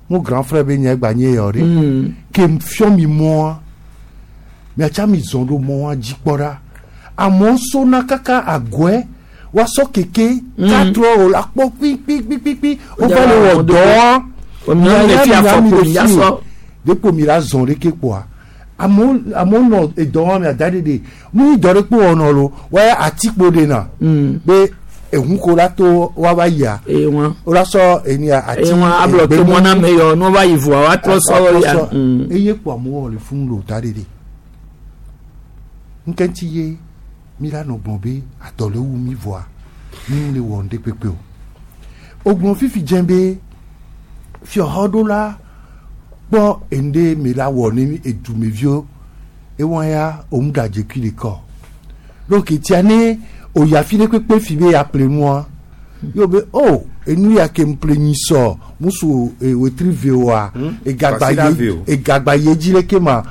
mo grand frère be nye gba nye yɔ ɖe Mm. ke fiɔ mi mɔa miatsa mi zɔn ɖo mɔa dzi kpɔ ɖa amewo sona kaka agɔɛ woasɔ keke quatre heures o la kpɔ kpikpikpikpi wova le wɔ dɔa Miawo le fi afɔkpo mi asɔ. depo mi la zɔn ɖeke kpoa amewo amewo nɔ edɔ wɔm mia da ɖe de nu yi dɔ ɖe kpo wɔnɔ lo wɔya atikpo ɖe na Mm. be ehun ko la to woava yia Eye wa. wo la sɔ enia ati Eye wa ablɔ to mɔ na me yɔ n'o va yi voa wa trɔ sɔ ya. Mm. eye kpo amewo wɔ le funu lo da ɖe de ŋkɛntsi ye mi la nɔ gblɔ be adɔ le wu mi voa mi ŋu le wɔ ŋɖe kpekpe o o gblɔ fifi dze be fiɔxɔɖola kpɔ ende mi la wɔ ne edumeviwo ewɔn ya òun ɖadze kui ɖeka donc tia ne oya fi ɖe kpekpe fi be ya ƒle nua yóò be o enu ya ke ŋu ƒle nyi sɔ musu e, wetri ve oa egagba Kwasiɖa ye ve o. egagba ye dzi leke ma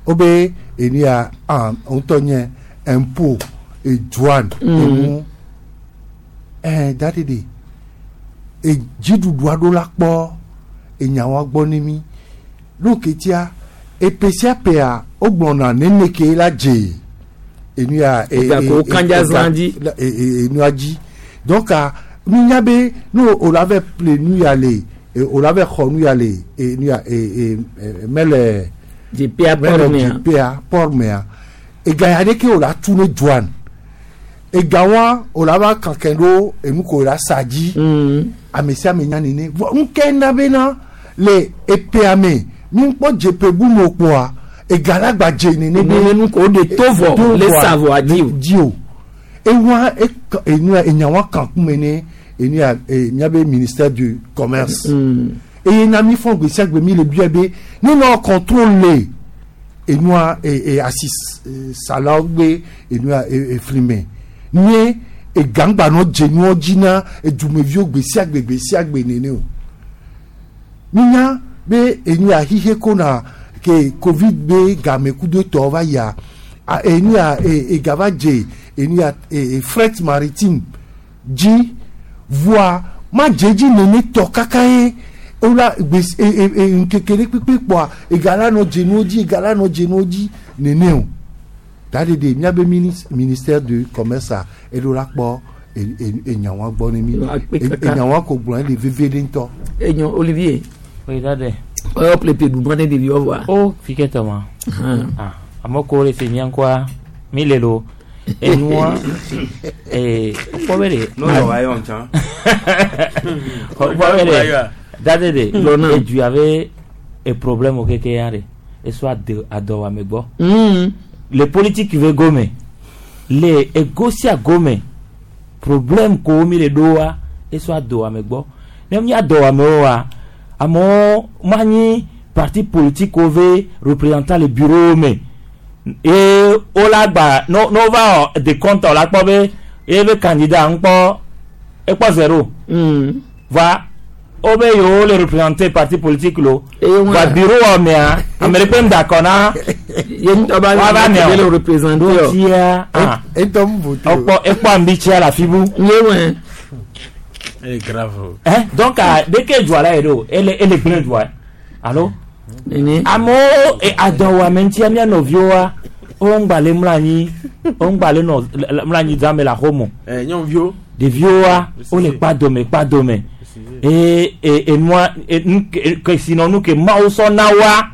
wo be enu ya ah ŋutɔ nye impôt edouane emu ɛɛ dadi de edziɖuɖua ɖo la kpɔ enyawoa gbɔ ne mi lóòkè tia epe sia pea wogblɔna nene ke la dze enu ya e- Gake e- wo kanja e- zã dzi. la- e- e- enua dzi donc a nunya be ne o la vɛ ple nu ya le e, o la vɛ xɔ nu ya le enu ya e e e mele Dzepea mele pɔr mea. dzepea pɔr mea ega ya ɖeke o la tu ne douane ega wa o la va kankɛ ɖo enu ko o la sa dzi Mm. ame sia ame nya nene vɔ ŋkɛ na bena le epea me mi ŋkpɔ dzepe bu me kpɔa ega la gba dze nene be Nene nu ko o de to vɔ le sa vɔ adi o. di o ewa eka enua enyawa kan kume ne enua e miabe ministère du commerce Mm. eye na mi fɔ gbe sia gbe mi le bia be ne nɔ contrôle enua e e asi salawo gbe enua e efli me ne egangba nɔ dze nuɔ dzi na edumeviwo gbe sia gbe gbe sia gbe nene o minya be enua xixe ko na ke covid be game kudo tɔ va yia a enua e ega va dze enua e e fret maritime dzi voa ma dze dzi nene tɔ kaka ye wola gbe e e e ŋkeke ɖe kpekpe kpɔa ega la nɔ dze nuwo dzi ega la nɔ dze nuwo dzi nene o ta de de miabe minis ministère du commerce a eɖo la kpɔ e- e- enyawoa gbɔ ne mi Akpe E- kaka. enyawoa ko gblɔ ele veve ɖe ŋutɔ Enyo Olivier. Oui, dade. Ɔyɔ ple pe ɖu mɔ ne ɖeviwo vɔa. O fi ke tɔ ma. Ah, ame ko le se mía ŋkɔa mi le lo. Enua ee kpɔ be de. No yɔ wa yɔ ŋtsã. Kpɔ be de. Dadede Lɔna. edu ave e problème o keke ya de eso ade adɔwɔame gbɔ. Mm. Le politique ve gome le ego sia gome problème ko mi le ɖo wa eso adɔwɔame gbɔ ne mi adɔwɔame wa amewo manyi parti politique wo ve représentant le bureau me ye wo la gba no no va wɔ décompte o la kpɔ be ye be candidat ŋkpɔ ekpɔ zéro Mm. va wo be yewo le représenter parti politique lo Eye wọn va bureau wɔ mea ame ɖe kpe ŋdakɔ na ye ŋutɔ ba Wa va mea o. le représenter yɔ. tia ah etɔ mu vote o. ekpɔ ekpɔ ambitsia le afi bu Ye wɛ. Eh, grave. hein donc ah, dès que dua la yi ɖo ele ele gblẽ dua alo Nene. amewo e adɔwɔame ŋutia mía nɔviwoa wo ŋgba le mlɔ anyi wo ŋgba le nɔ le- le- mlɔ anyi zãme le axome Eh, nyɔnuviwo ɖeviwoa wole kpa dome kpa dome eye e enua e nu ke kesinɔnu ke mawu sɔ na woa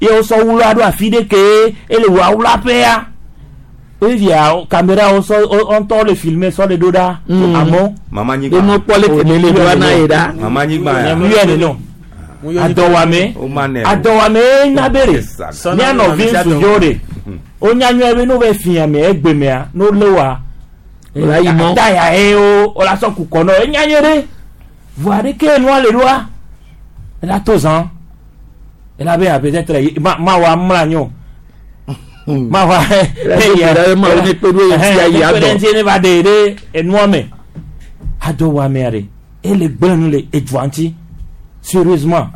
ye wosɔ wula ɖo afi ɖe ke ele wɔ wula ƒea evia kamera wo sɔ wo ŋutɔ le filmer sɔ le ɖo ɖa Mm. amewo mama Be nyigba mo kpɔ le kele le do ana ye ɖa. mama nyigba ya yɔ nene adɔwɔame o ma nɛ o. adɔwɔame na be ɖe Esa. mía nɔvi ŋutsuviwo ɖe wonya nyuie be ne wo fia me egbe mea ne wo lé wa O la yi mɔ. taya ye wo wo la sɔ kukɔ nɔ enya nyuie ɖe voa ɖeke nua le ɖoa ela to zã ela be peut-être ye- ma ma wa mla nyo ma wa Ela do gbe ɖa be Mawu ne kpe ɖo ye ŋuti ayi adɔ. ŋuti ne va ɖe ɖe enua me adɔwɔamea ɖe ele gblẽ nu le edua ŋuti sérieusement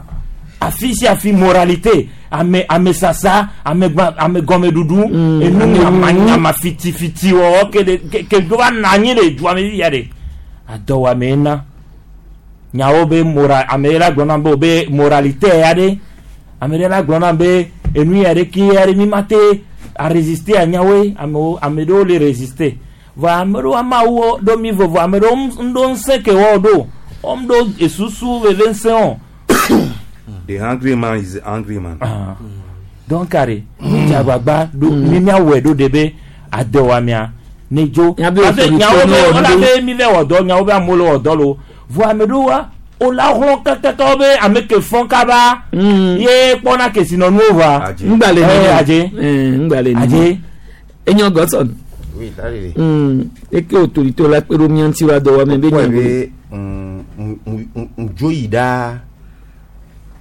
afi sia afi moralité ame ame sasa ame gba ame gɔmeɖuɖu Mm. enu nyamanyama fitifiti wɔwɔ ke le ke ke do va na anyi le dua me fia ɖe adɔwɔame na nyawo be mora ame ɖe la gblɔ na be o be moralité ya ɖe ame ɖe la gblɔ na be enu ya ɖe ke ya ɖe mi ma te a résister a nyawoe amewo ame ɖewo le résister vɔ ame ɖewo amawo ɖo mi vovo ame ɖewo ŋ- ɖo ŋusẽ ke wɔwo ɖo wɔm ɖo esusu veve ŋusẽ o. The hungry man is the angry man. Ah. donc are mi agbagba ɖo mi miawɔe ɖo de be adɔwɔamea ne dzo Miabe parce que autorité nyawo be ne wɔ wola ɖo. be mi vɛ wɔ dɔ nyawo be amewo le wɔ dɔ lo vɔ ame ɖewoa wola hlɔ̃ kakaka wo be ame ke fɔn kaba Mm. ye kpɔna kesinɔnuwo va Adze. Ŋgba le Eh, nene. adze. Eh, ŋgba le nene. adze Enyo Godson. Oui, dadede. Mm. Eke autorité la kpe ɖo mía ŋuti wa dɔwɔame be Kpɔe nya be mm, mm, mm, mm, dzo yi ɖaa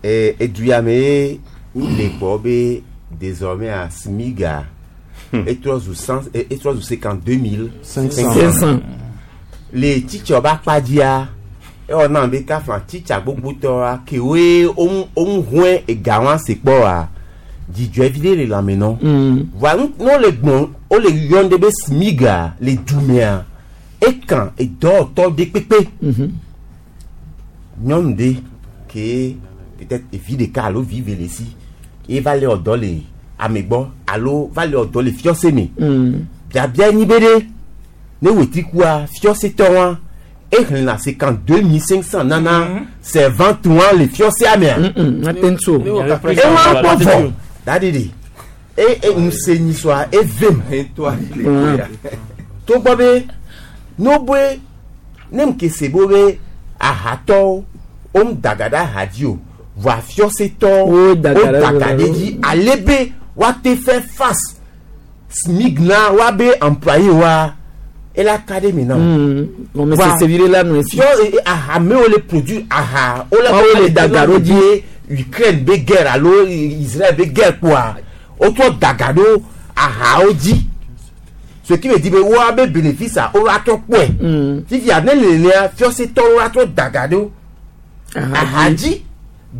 eh, edu ya me ye mi le gbɔ be désormais à Smiga etrɔ zu cent eh, etrɔ zu cinquante deux mille Cinq cents. cinq cent. le titsa ba kpa dzia ewɔ nam be kafla titsa gbogbotɔa kewoe woŋu woŋu hɔe ega wa se kpɔ wa dzidzɔe vi ɖe le lãme nɔ. Mm. Voa nu ne wole gbɔn wole yɔm ɖe be Smiga le dumea ekan edɔwɔtɔ ɖe kpekpe. Mhm. Nyɔnu ɖe ke peut-être evi ɖeka alo vi ve le si ye va le wɔ dɔ le ame gbɔ alo va le wɔ dɔ le fiɔse me. Mm. Biabia nyi be ɖe ne wetri kua fiɔsetɔ wa exlẽna cinquante deux mille cinq cent nana servante wa le fiɔsea mea. Mm, mm. Ate ŋu o. Ewa kpɔ vɔ dadi de e e nuse nyisɔa evem Toi, le Mm. ya. togbɔ be n'oboe ne mu kese bo be ahatɔwo wo daga ɖe aha dzi o vɔa fiɔsetɔwo Wo daga wo ɖe- daga ɖe dzi ale be woate faire face SMIG na woabe employé wa ela ka ɖe mi na o. Mm. Gɔmesese Wa- vi ɖe la nɔ esi. fiɔ e- e- ahamewo le produit aha wole Woawo le daga ɖo dzi. Ukraine be guerre alo Israël be guerre kpoa wotrɔ daga ɖo ahawo dzi ce qui veut dire be woabe bénéfice a wo atrɔ kpɔe Mm. fifia ne lelea fiɔsetɔwo atrɔ daga ɖo aha dzi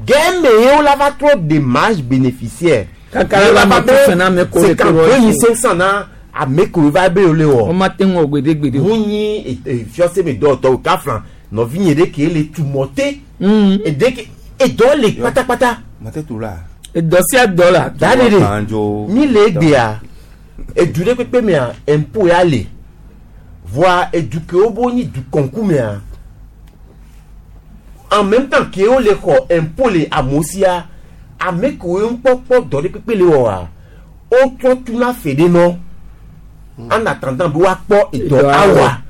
gɛmɛ ye wo la va trɔ de marge bénéficiaire Kaka la va nɔ tu fɛn na ame ko le cinquante ko deux mille wɔ. cinq cent na ame ko va be wo le wɔ Wọ́n ma te ŋu wɔ gbedegbede o. ŋu nyi fiɔse me dɔwɔtɔwo kafla nɔvinye ɖe ke le tumɔte Mm. eɖe ke edɔ le kpatakpata Mate tu la. Edɔ sia dɔ la. da de de Banjo. mi le egbea edu ɖe kpekpe mea impôt ya le voa edu ke wo bo nyi du kɔnku mea en même temps ke wo le xɔ impôt le amewo sia ame kewo ŋkpɔkpɔ dɔ ɖe kpekpe le wɔa wotrɔ tuna fe ɖe nɔ en attendant be woakpɔ edɔ Edɔ awɔ. awa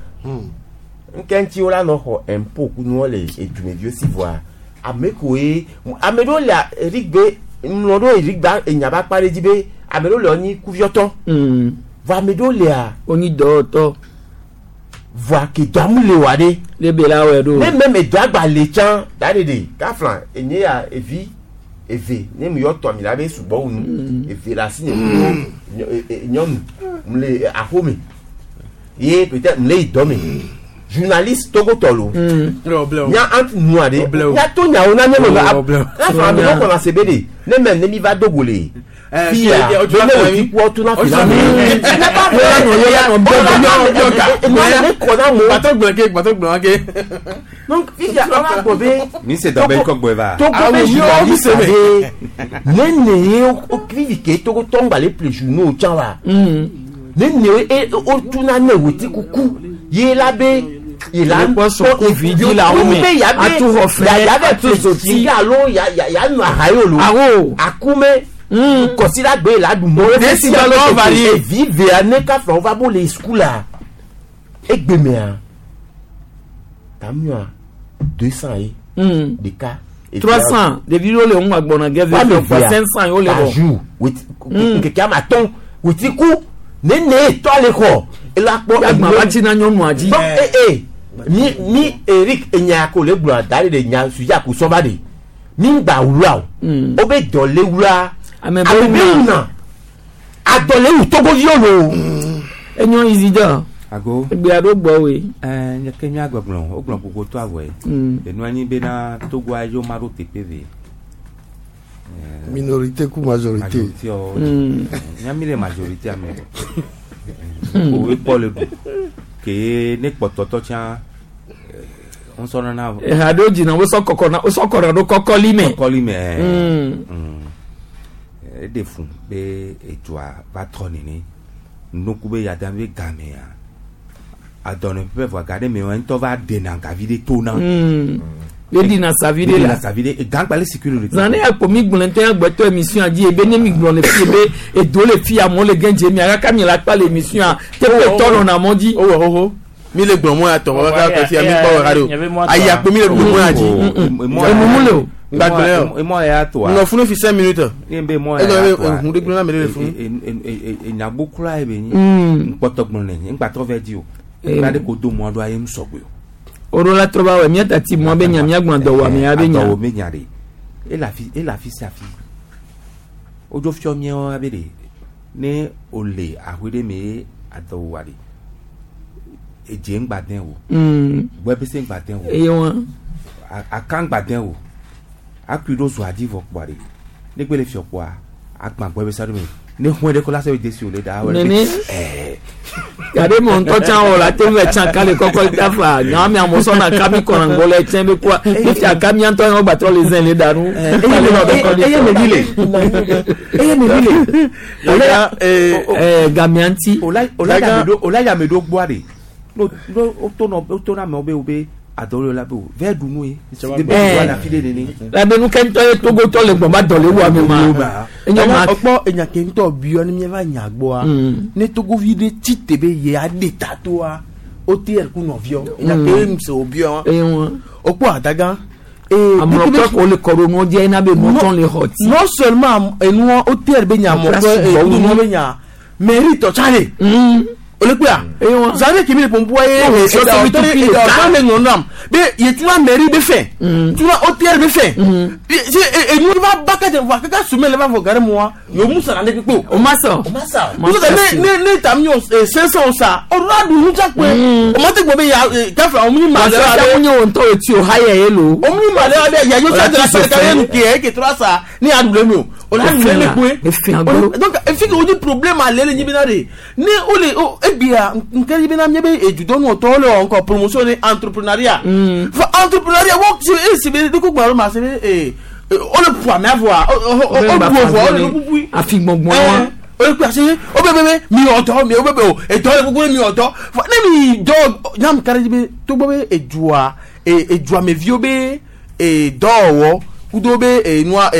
nke ŋuti wo la nɔ xɔ impôt kunuwo le edumeviwo si voa Ame koe ame ɖewo le Eric be ŋlɔ ɖo Eric ba enya ba kpa ɖe dzi be ame ɖewo le wonyi kuviɔtɔ. Mm. Vɔ ame ɖewo lea. Wonyi dɔwɔtɔ. Vɔa ke dɔa mu le wa ɖe. Le be la wɔ ɖo. Ne meme dɔa gba le tsã da ɖe ɖe kafla enye ya evi eve ne mu yɔ tɔ mi la be sugbɔ wu nu eve le asi nye kudo nyɔnu mu le aƒome ye peut-être mu le yi dɔ me journaliste togotɔ lo nya entre nua ɖe nya to nyawo na nye me va kafla ame ɖewo kɔna se be de ne mɛ ne mi va do go le fia be ne wo ti kpɔ tuna fila me ne ba fɔ ne kɔna mo. Gbàtɔ gblɔ ke gbàtɔ gblɔ ke. Donc fifia ɔlá gbɔ be. Mi se dɔ bɛ kɔ gbɔ va. Togo be journaliste de ne ne ye o fifi ke Togo tɔngba le ple journaux tsã wa. Ne ne ye o tuna ne wo ti kuku ye la be ye la kpɔ sɔku vi la wo me atu xɔ fɛ atu zoti alo ya ya ya nɔ aha ye o lo. Awo akume kɔsida gbe la du mɔ. Desi dɔ varié. Evi vea ne ka fɔ va bo le sukula egbemea tamua deux cent ye. Ɖeka. Trois cent ɖevi ɖewo le ŋu agbɔna gɛ ve fɛ cinq cent ye wo le bɔ. Par jour nkeke ame atɔ̃ wòti ku ne ne tɔ le xɔ ela kpɔ. Yagba va tsi na nyɔnua dzi. Donc ee eh, mi mi Eric enya ko le gblɔ da ɖe nya suja ko sɔba de mi gba wula o o be dɔ le wula ame be wuna adɔ le wu togoviwo lo. Enyo Isidore. Ago. Egbe aɖo gbɔ woe. Ɛɛ nye ke mía gbɔgblɔ o gblɔ gbogbo to awɔe. Enua nyi bena Togoa yewo ma ɖo teƒe ve. Minorité ku majorité. Majorité ɔ. Mía mi le majorité ame. O ye kpɔ le ɖu. Ke ne kpɔtɔtɔ tsã ŋusɔ nana. Eha ɖewo dzina wosɔ kɔkɔ na wosɔ kɔna ɖo kɔkɔli me. Kɔkɔli me. Eɖe fun be edua va trɔ nene. Nuku be yada be gamea. Adɔnɔ ƒe vɔ ga ɖe me wa ŋutɔ va ɖena gavi ɖe to na. Ye ɖina savi ɖe la. Ɖina savi ɖe gãgba le sécurité. Zan ne akpɔ mi gblɔ ŋutɔ ya gbɛtɔ émission dzi ebe ne mi gblɔ le fi ebe edo le fi amewo le gɛn dze mi akaka mi la kpa le émission teƒe tɔ nɔna mɔ dzi. O wɔ xoxo mi le gblɔ mɔ ya tɔ kaka kɔ fi mi kpɔ wɔ ka do ayi akpɔ mi le gblɔ mɔ ya dzi. Enumu le o. Gbagblẽ o. Emɔ ya toa. Nɔ funu fi cinq minutes. Ne be mɔ ya toa. Ehun ɖe gblɔ na mi le funu. Enyagbo kura ye be nyi. Nkpɔtɔ gblɔ ne nyi ŋgbàtɔ vɛ di o. Gba ɖe ko do mɔ ɖo aye ŋusɔgbe o. Oro la trɔ ba wɔ mía tati mɔ be nya mía gblɔ dɔwɔame ya be nya. Dɔwɔ be nya ɖe. Ele afi ele afi sia afi. Wodzo fiɔ míawo abe ɖe ne o le ahoe ɖe me ye adɔwɔa ɖe edze ŋgba dẽ o. Gbɛbese ŋgba dẽ o. Eye wa. Aka ŋgba dẽ o. Akui ɖo zɔa dzi vɔ kpɔa ɖe ne gbe le fiɔ kpɔa agbã gbɛbese ɖe me ne xɔe ɖe ko la se desi o le da. Nene. Gade mɔ ŋutɔ tsã wɔ la te vɛ tsã ka le kɔkɔ ta fa nya mi amewo sɔna ka mi kɔna ŋgɔ le tsɛ be kua ne fia ka mía ŋutɔ yɛn gbatrɔ le zɛn le da nu. Eye me vi le eye me vi le. Ɛɛ gamia ŋuti. O la yame ɖo gbɔa de no no o to nɔ o to na amewo be o be adɔwɔle la be o vɛ ɖu nu ye. Labe nu ke ŋutɔ ye Togotɔ le gbɔn ba dɔ le wu ame ma. Enyo ma ɔkpɔ enya ke ŋutɔ biɔ ne miava nya gbɔa ne Togovi ɖe tsi te be ye aɖe ta toa o te yɛrɛ ku nɔviɔ enya ke ŋuse o biɔ o kpɔ adaga. Amɔkɔ ko le kɔ ɖo nuwo dzi ena be nuwo tsɔ le xɔ ti. Non seulement enuɔ o te yɛrɛ be nya amɔkɔ enuɔ be nya mairie tɔ tsa le. Olekpea zane kemi le pɔnpɔa ye ɛdɔtɔ le ŋlɔ be yetuna mairie be fɛ tuna O T R be fɛ enu va ba kɛ wa kaka sumɛ le va fɔ gari mua yomu sara ne kpekpe o. O ma sɔn. O ma sɔn. Muso ne ne ne ta mi yɔ cinq cent sa o la dun nuja kpe o ma te gbɔ be ya kafe o mi ma le wa. Parce que nye o ŋutɔ o ti o ha yɛ ye lo. O mi ma le wa be ya yo sa de la sɔrɔ ka ye nu ke ke tora sa ne y'a dun le mi o. O la dun le mi kpe. Donc efi ke o di problème ale le nyi bena de ne o le o ebia nkɛ bena mi be edudɔnu tɔw le wɔ encore promotion de entrepreneuriat. Fɔ entrepreneuriat wo e si be ne ko gbɔn ma se be ee o le pu ame avɔa o o bu avɔ o le bubui. Afi gbɔngbɔn wa. O le kpe ase o bɛ bɛ bɛ mi ɔtɔ mi o bɛ bɛ o etɔ le gbogbo mi ɔtɔ fɔ ne mi dɔ nyam kari be togbɔ be edua eduameviwo be dɔwɔwɔ kudo be enua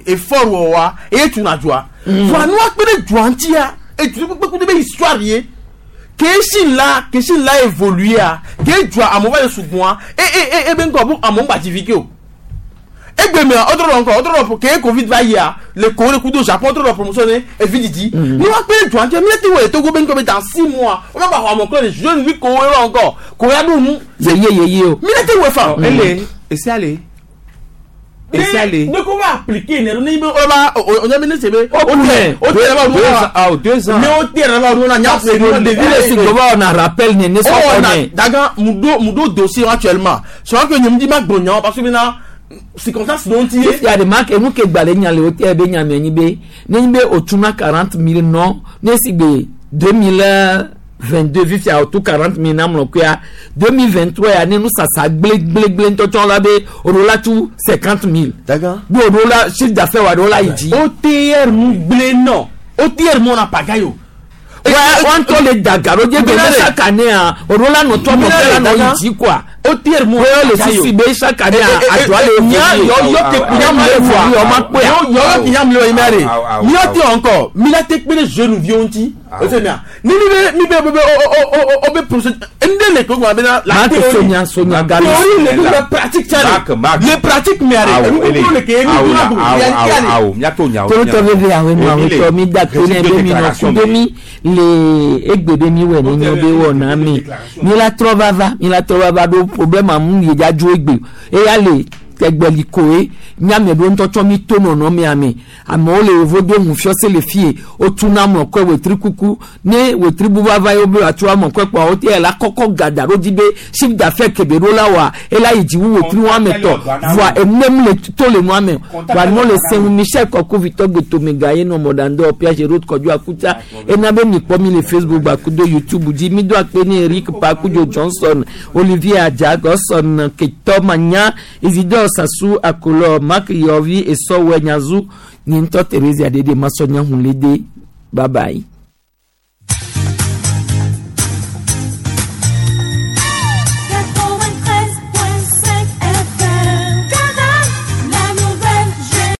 effort wɔwɔa eye tuna dua. Fɔ anua kpe ɖe dua ŋutia edu kpe kudo be histoire ye. Kesi la kesi la évolué a ke dua amewo va le sugbɔa e e e ebe ŋkɔ bo amewo ŋgba dzi vi ke o Egbe mea o trɔ encore o trɔ ke covid va yia le Corée kudo Japon o trɔ promotion ne evi didi. Ni wa kpe dua ŋuti mi ti wɔ le Togo be ŋkɔ be dans six mois o ma ba xɔ amɔ kple le jeune vi Corée wa encore Corée aɖo nu. Yeye yeye o. Mi ne ti wɔ fa. Ele esi ale esi ale. Ne ko va appliquer ne ne be o ba o nya mi ne se be o tɛ o tɛ ba Deux ans, ah, deux ans. Ne o tɛ ba nu na nya fe nu ɖevi le si gbɔ na rappel ne ne sɔ Oh, na kɔnɛ. daga mudo mudo dossier actuellement. C'est que nyem di ma gbonyan parce que maintenant circonstance dont il est. Fifia de marque enu ke gbalẽ nya le wo te be nya me nyi be ne nyi be otuna quarante mille nɔ ne si gbe deux mille vingt deux fifia otu quarante mille na mlɔ kuya deux mille vingt trois ya ne nu sasa gble gble gble ŋutɔtsɔ la be oɖo la tu cinquante mille. Daga. Bí oɖo la chiffre d'affaires wa ɖo la yi dzi. O T R mu gblé non. O T R mu na pagayo. Wa wọn tɔ le daga ɖo dze be ne chaque année a oɖo la nɔ tɔ mɔ fɛ la nɔ yi dzi quoi. O T R mu Wo le sisi be chaque année a adzɔa le Nya évoluer. yɔ yɔ te kunya mu le Awo, voa. awo, ma kpɔe. Yɔ yɔ kunya mu le yi mɛ Awo, awo, de. Mi yɔ te awo. encore. Mi la te kpe le jeune vieux ŋuti. Awo. O se mia. Ni mi be mi be be o o o o o be procédure. Nde le ko gba be na la Marc théorie. Sonia Sonia Gallo. Théorie le le pratique tsa Marc, Marc. le. Le pratique mɛ Awo, de. ele. Enu le ke enu Awo, duna awo, bu. awo, awo, miato nyawo, Torotɔ nyawo. veve awo nu Emile, awotɔ mi da to ne reçu be deux mi nɔ déclarations, kudo mi le egbe be mi wɔ ne nyɔ be wɔ na mi mi la trɔ vava mi la trɔ vava ɖo problème amu yi dza dzo egbe eya le tɛgbɛli koe miame ɖo ŋutɔtsɔ mi to nɔnɔ mia me amewo le yevo do ŋu fiɔse le fie wotuna mɔkɔe wetri kuku ne wetri bu vava ye wo be wòatso amɔkɔe kpɔa wote la kɔkɔ gada ɖo dzi be chiffre d'affaires kebe ɖo la wɔa ela yi dzi wu wetri wɔame tɔ voa enem le to le nua me voa nua le sɛŋu michel kɔkuvitɔ gbetomega ye nɔ mɔɖaŋdɔ piage road kɔdu akuta ena be mikpɔ mi le facebook gbakudo youtube dzi mi do akpe ne eric pakudzo johnson olivier adza gɔsɔn ketɔ manya isidore sasu akolɔ mark yɔvi esɔwɛ nyazu nye ŋutɔ therese adede masɔnya hunlede bye bye.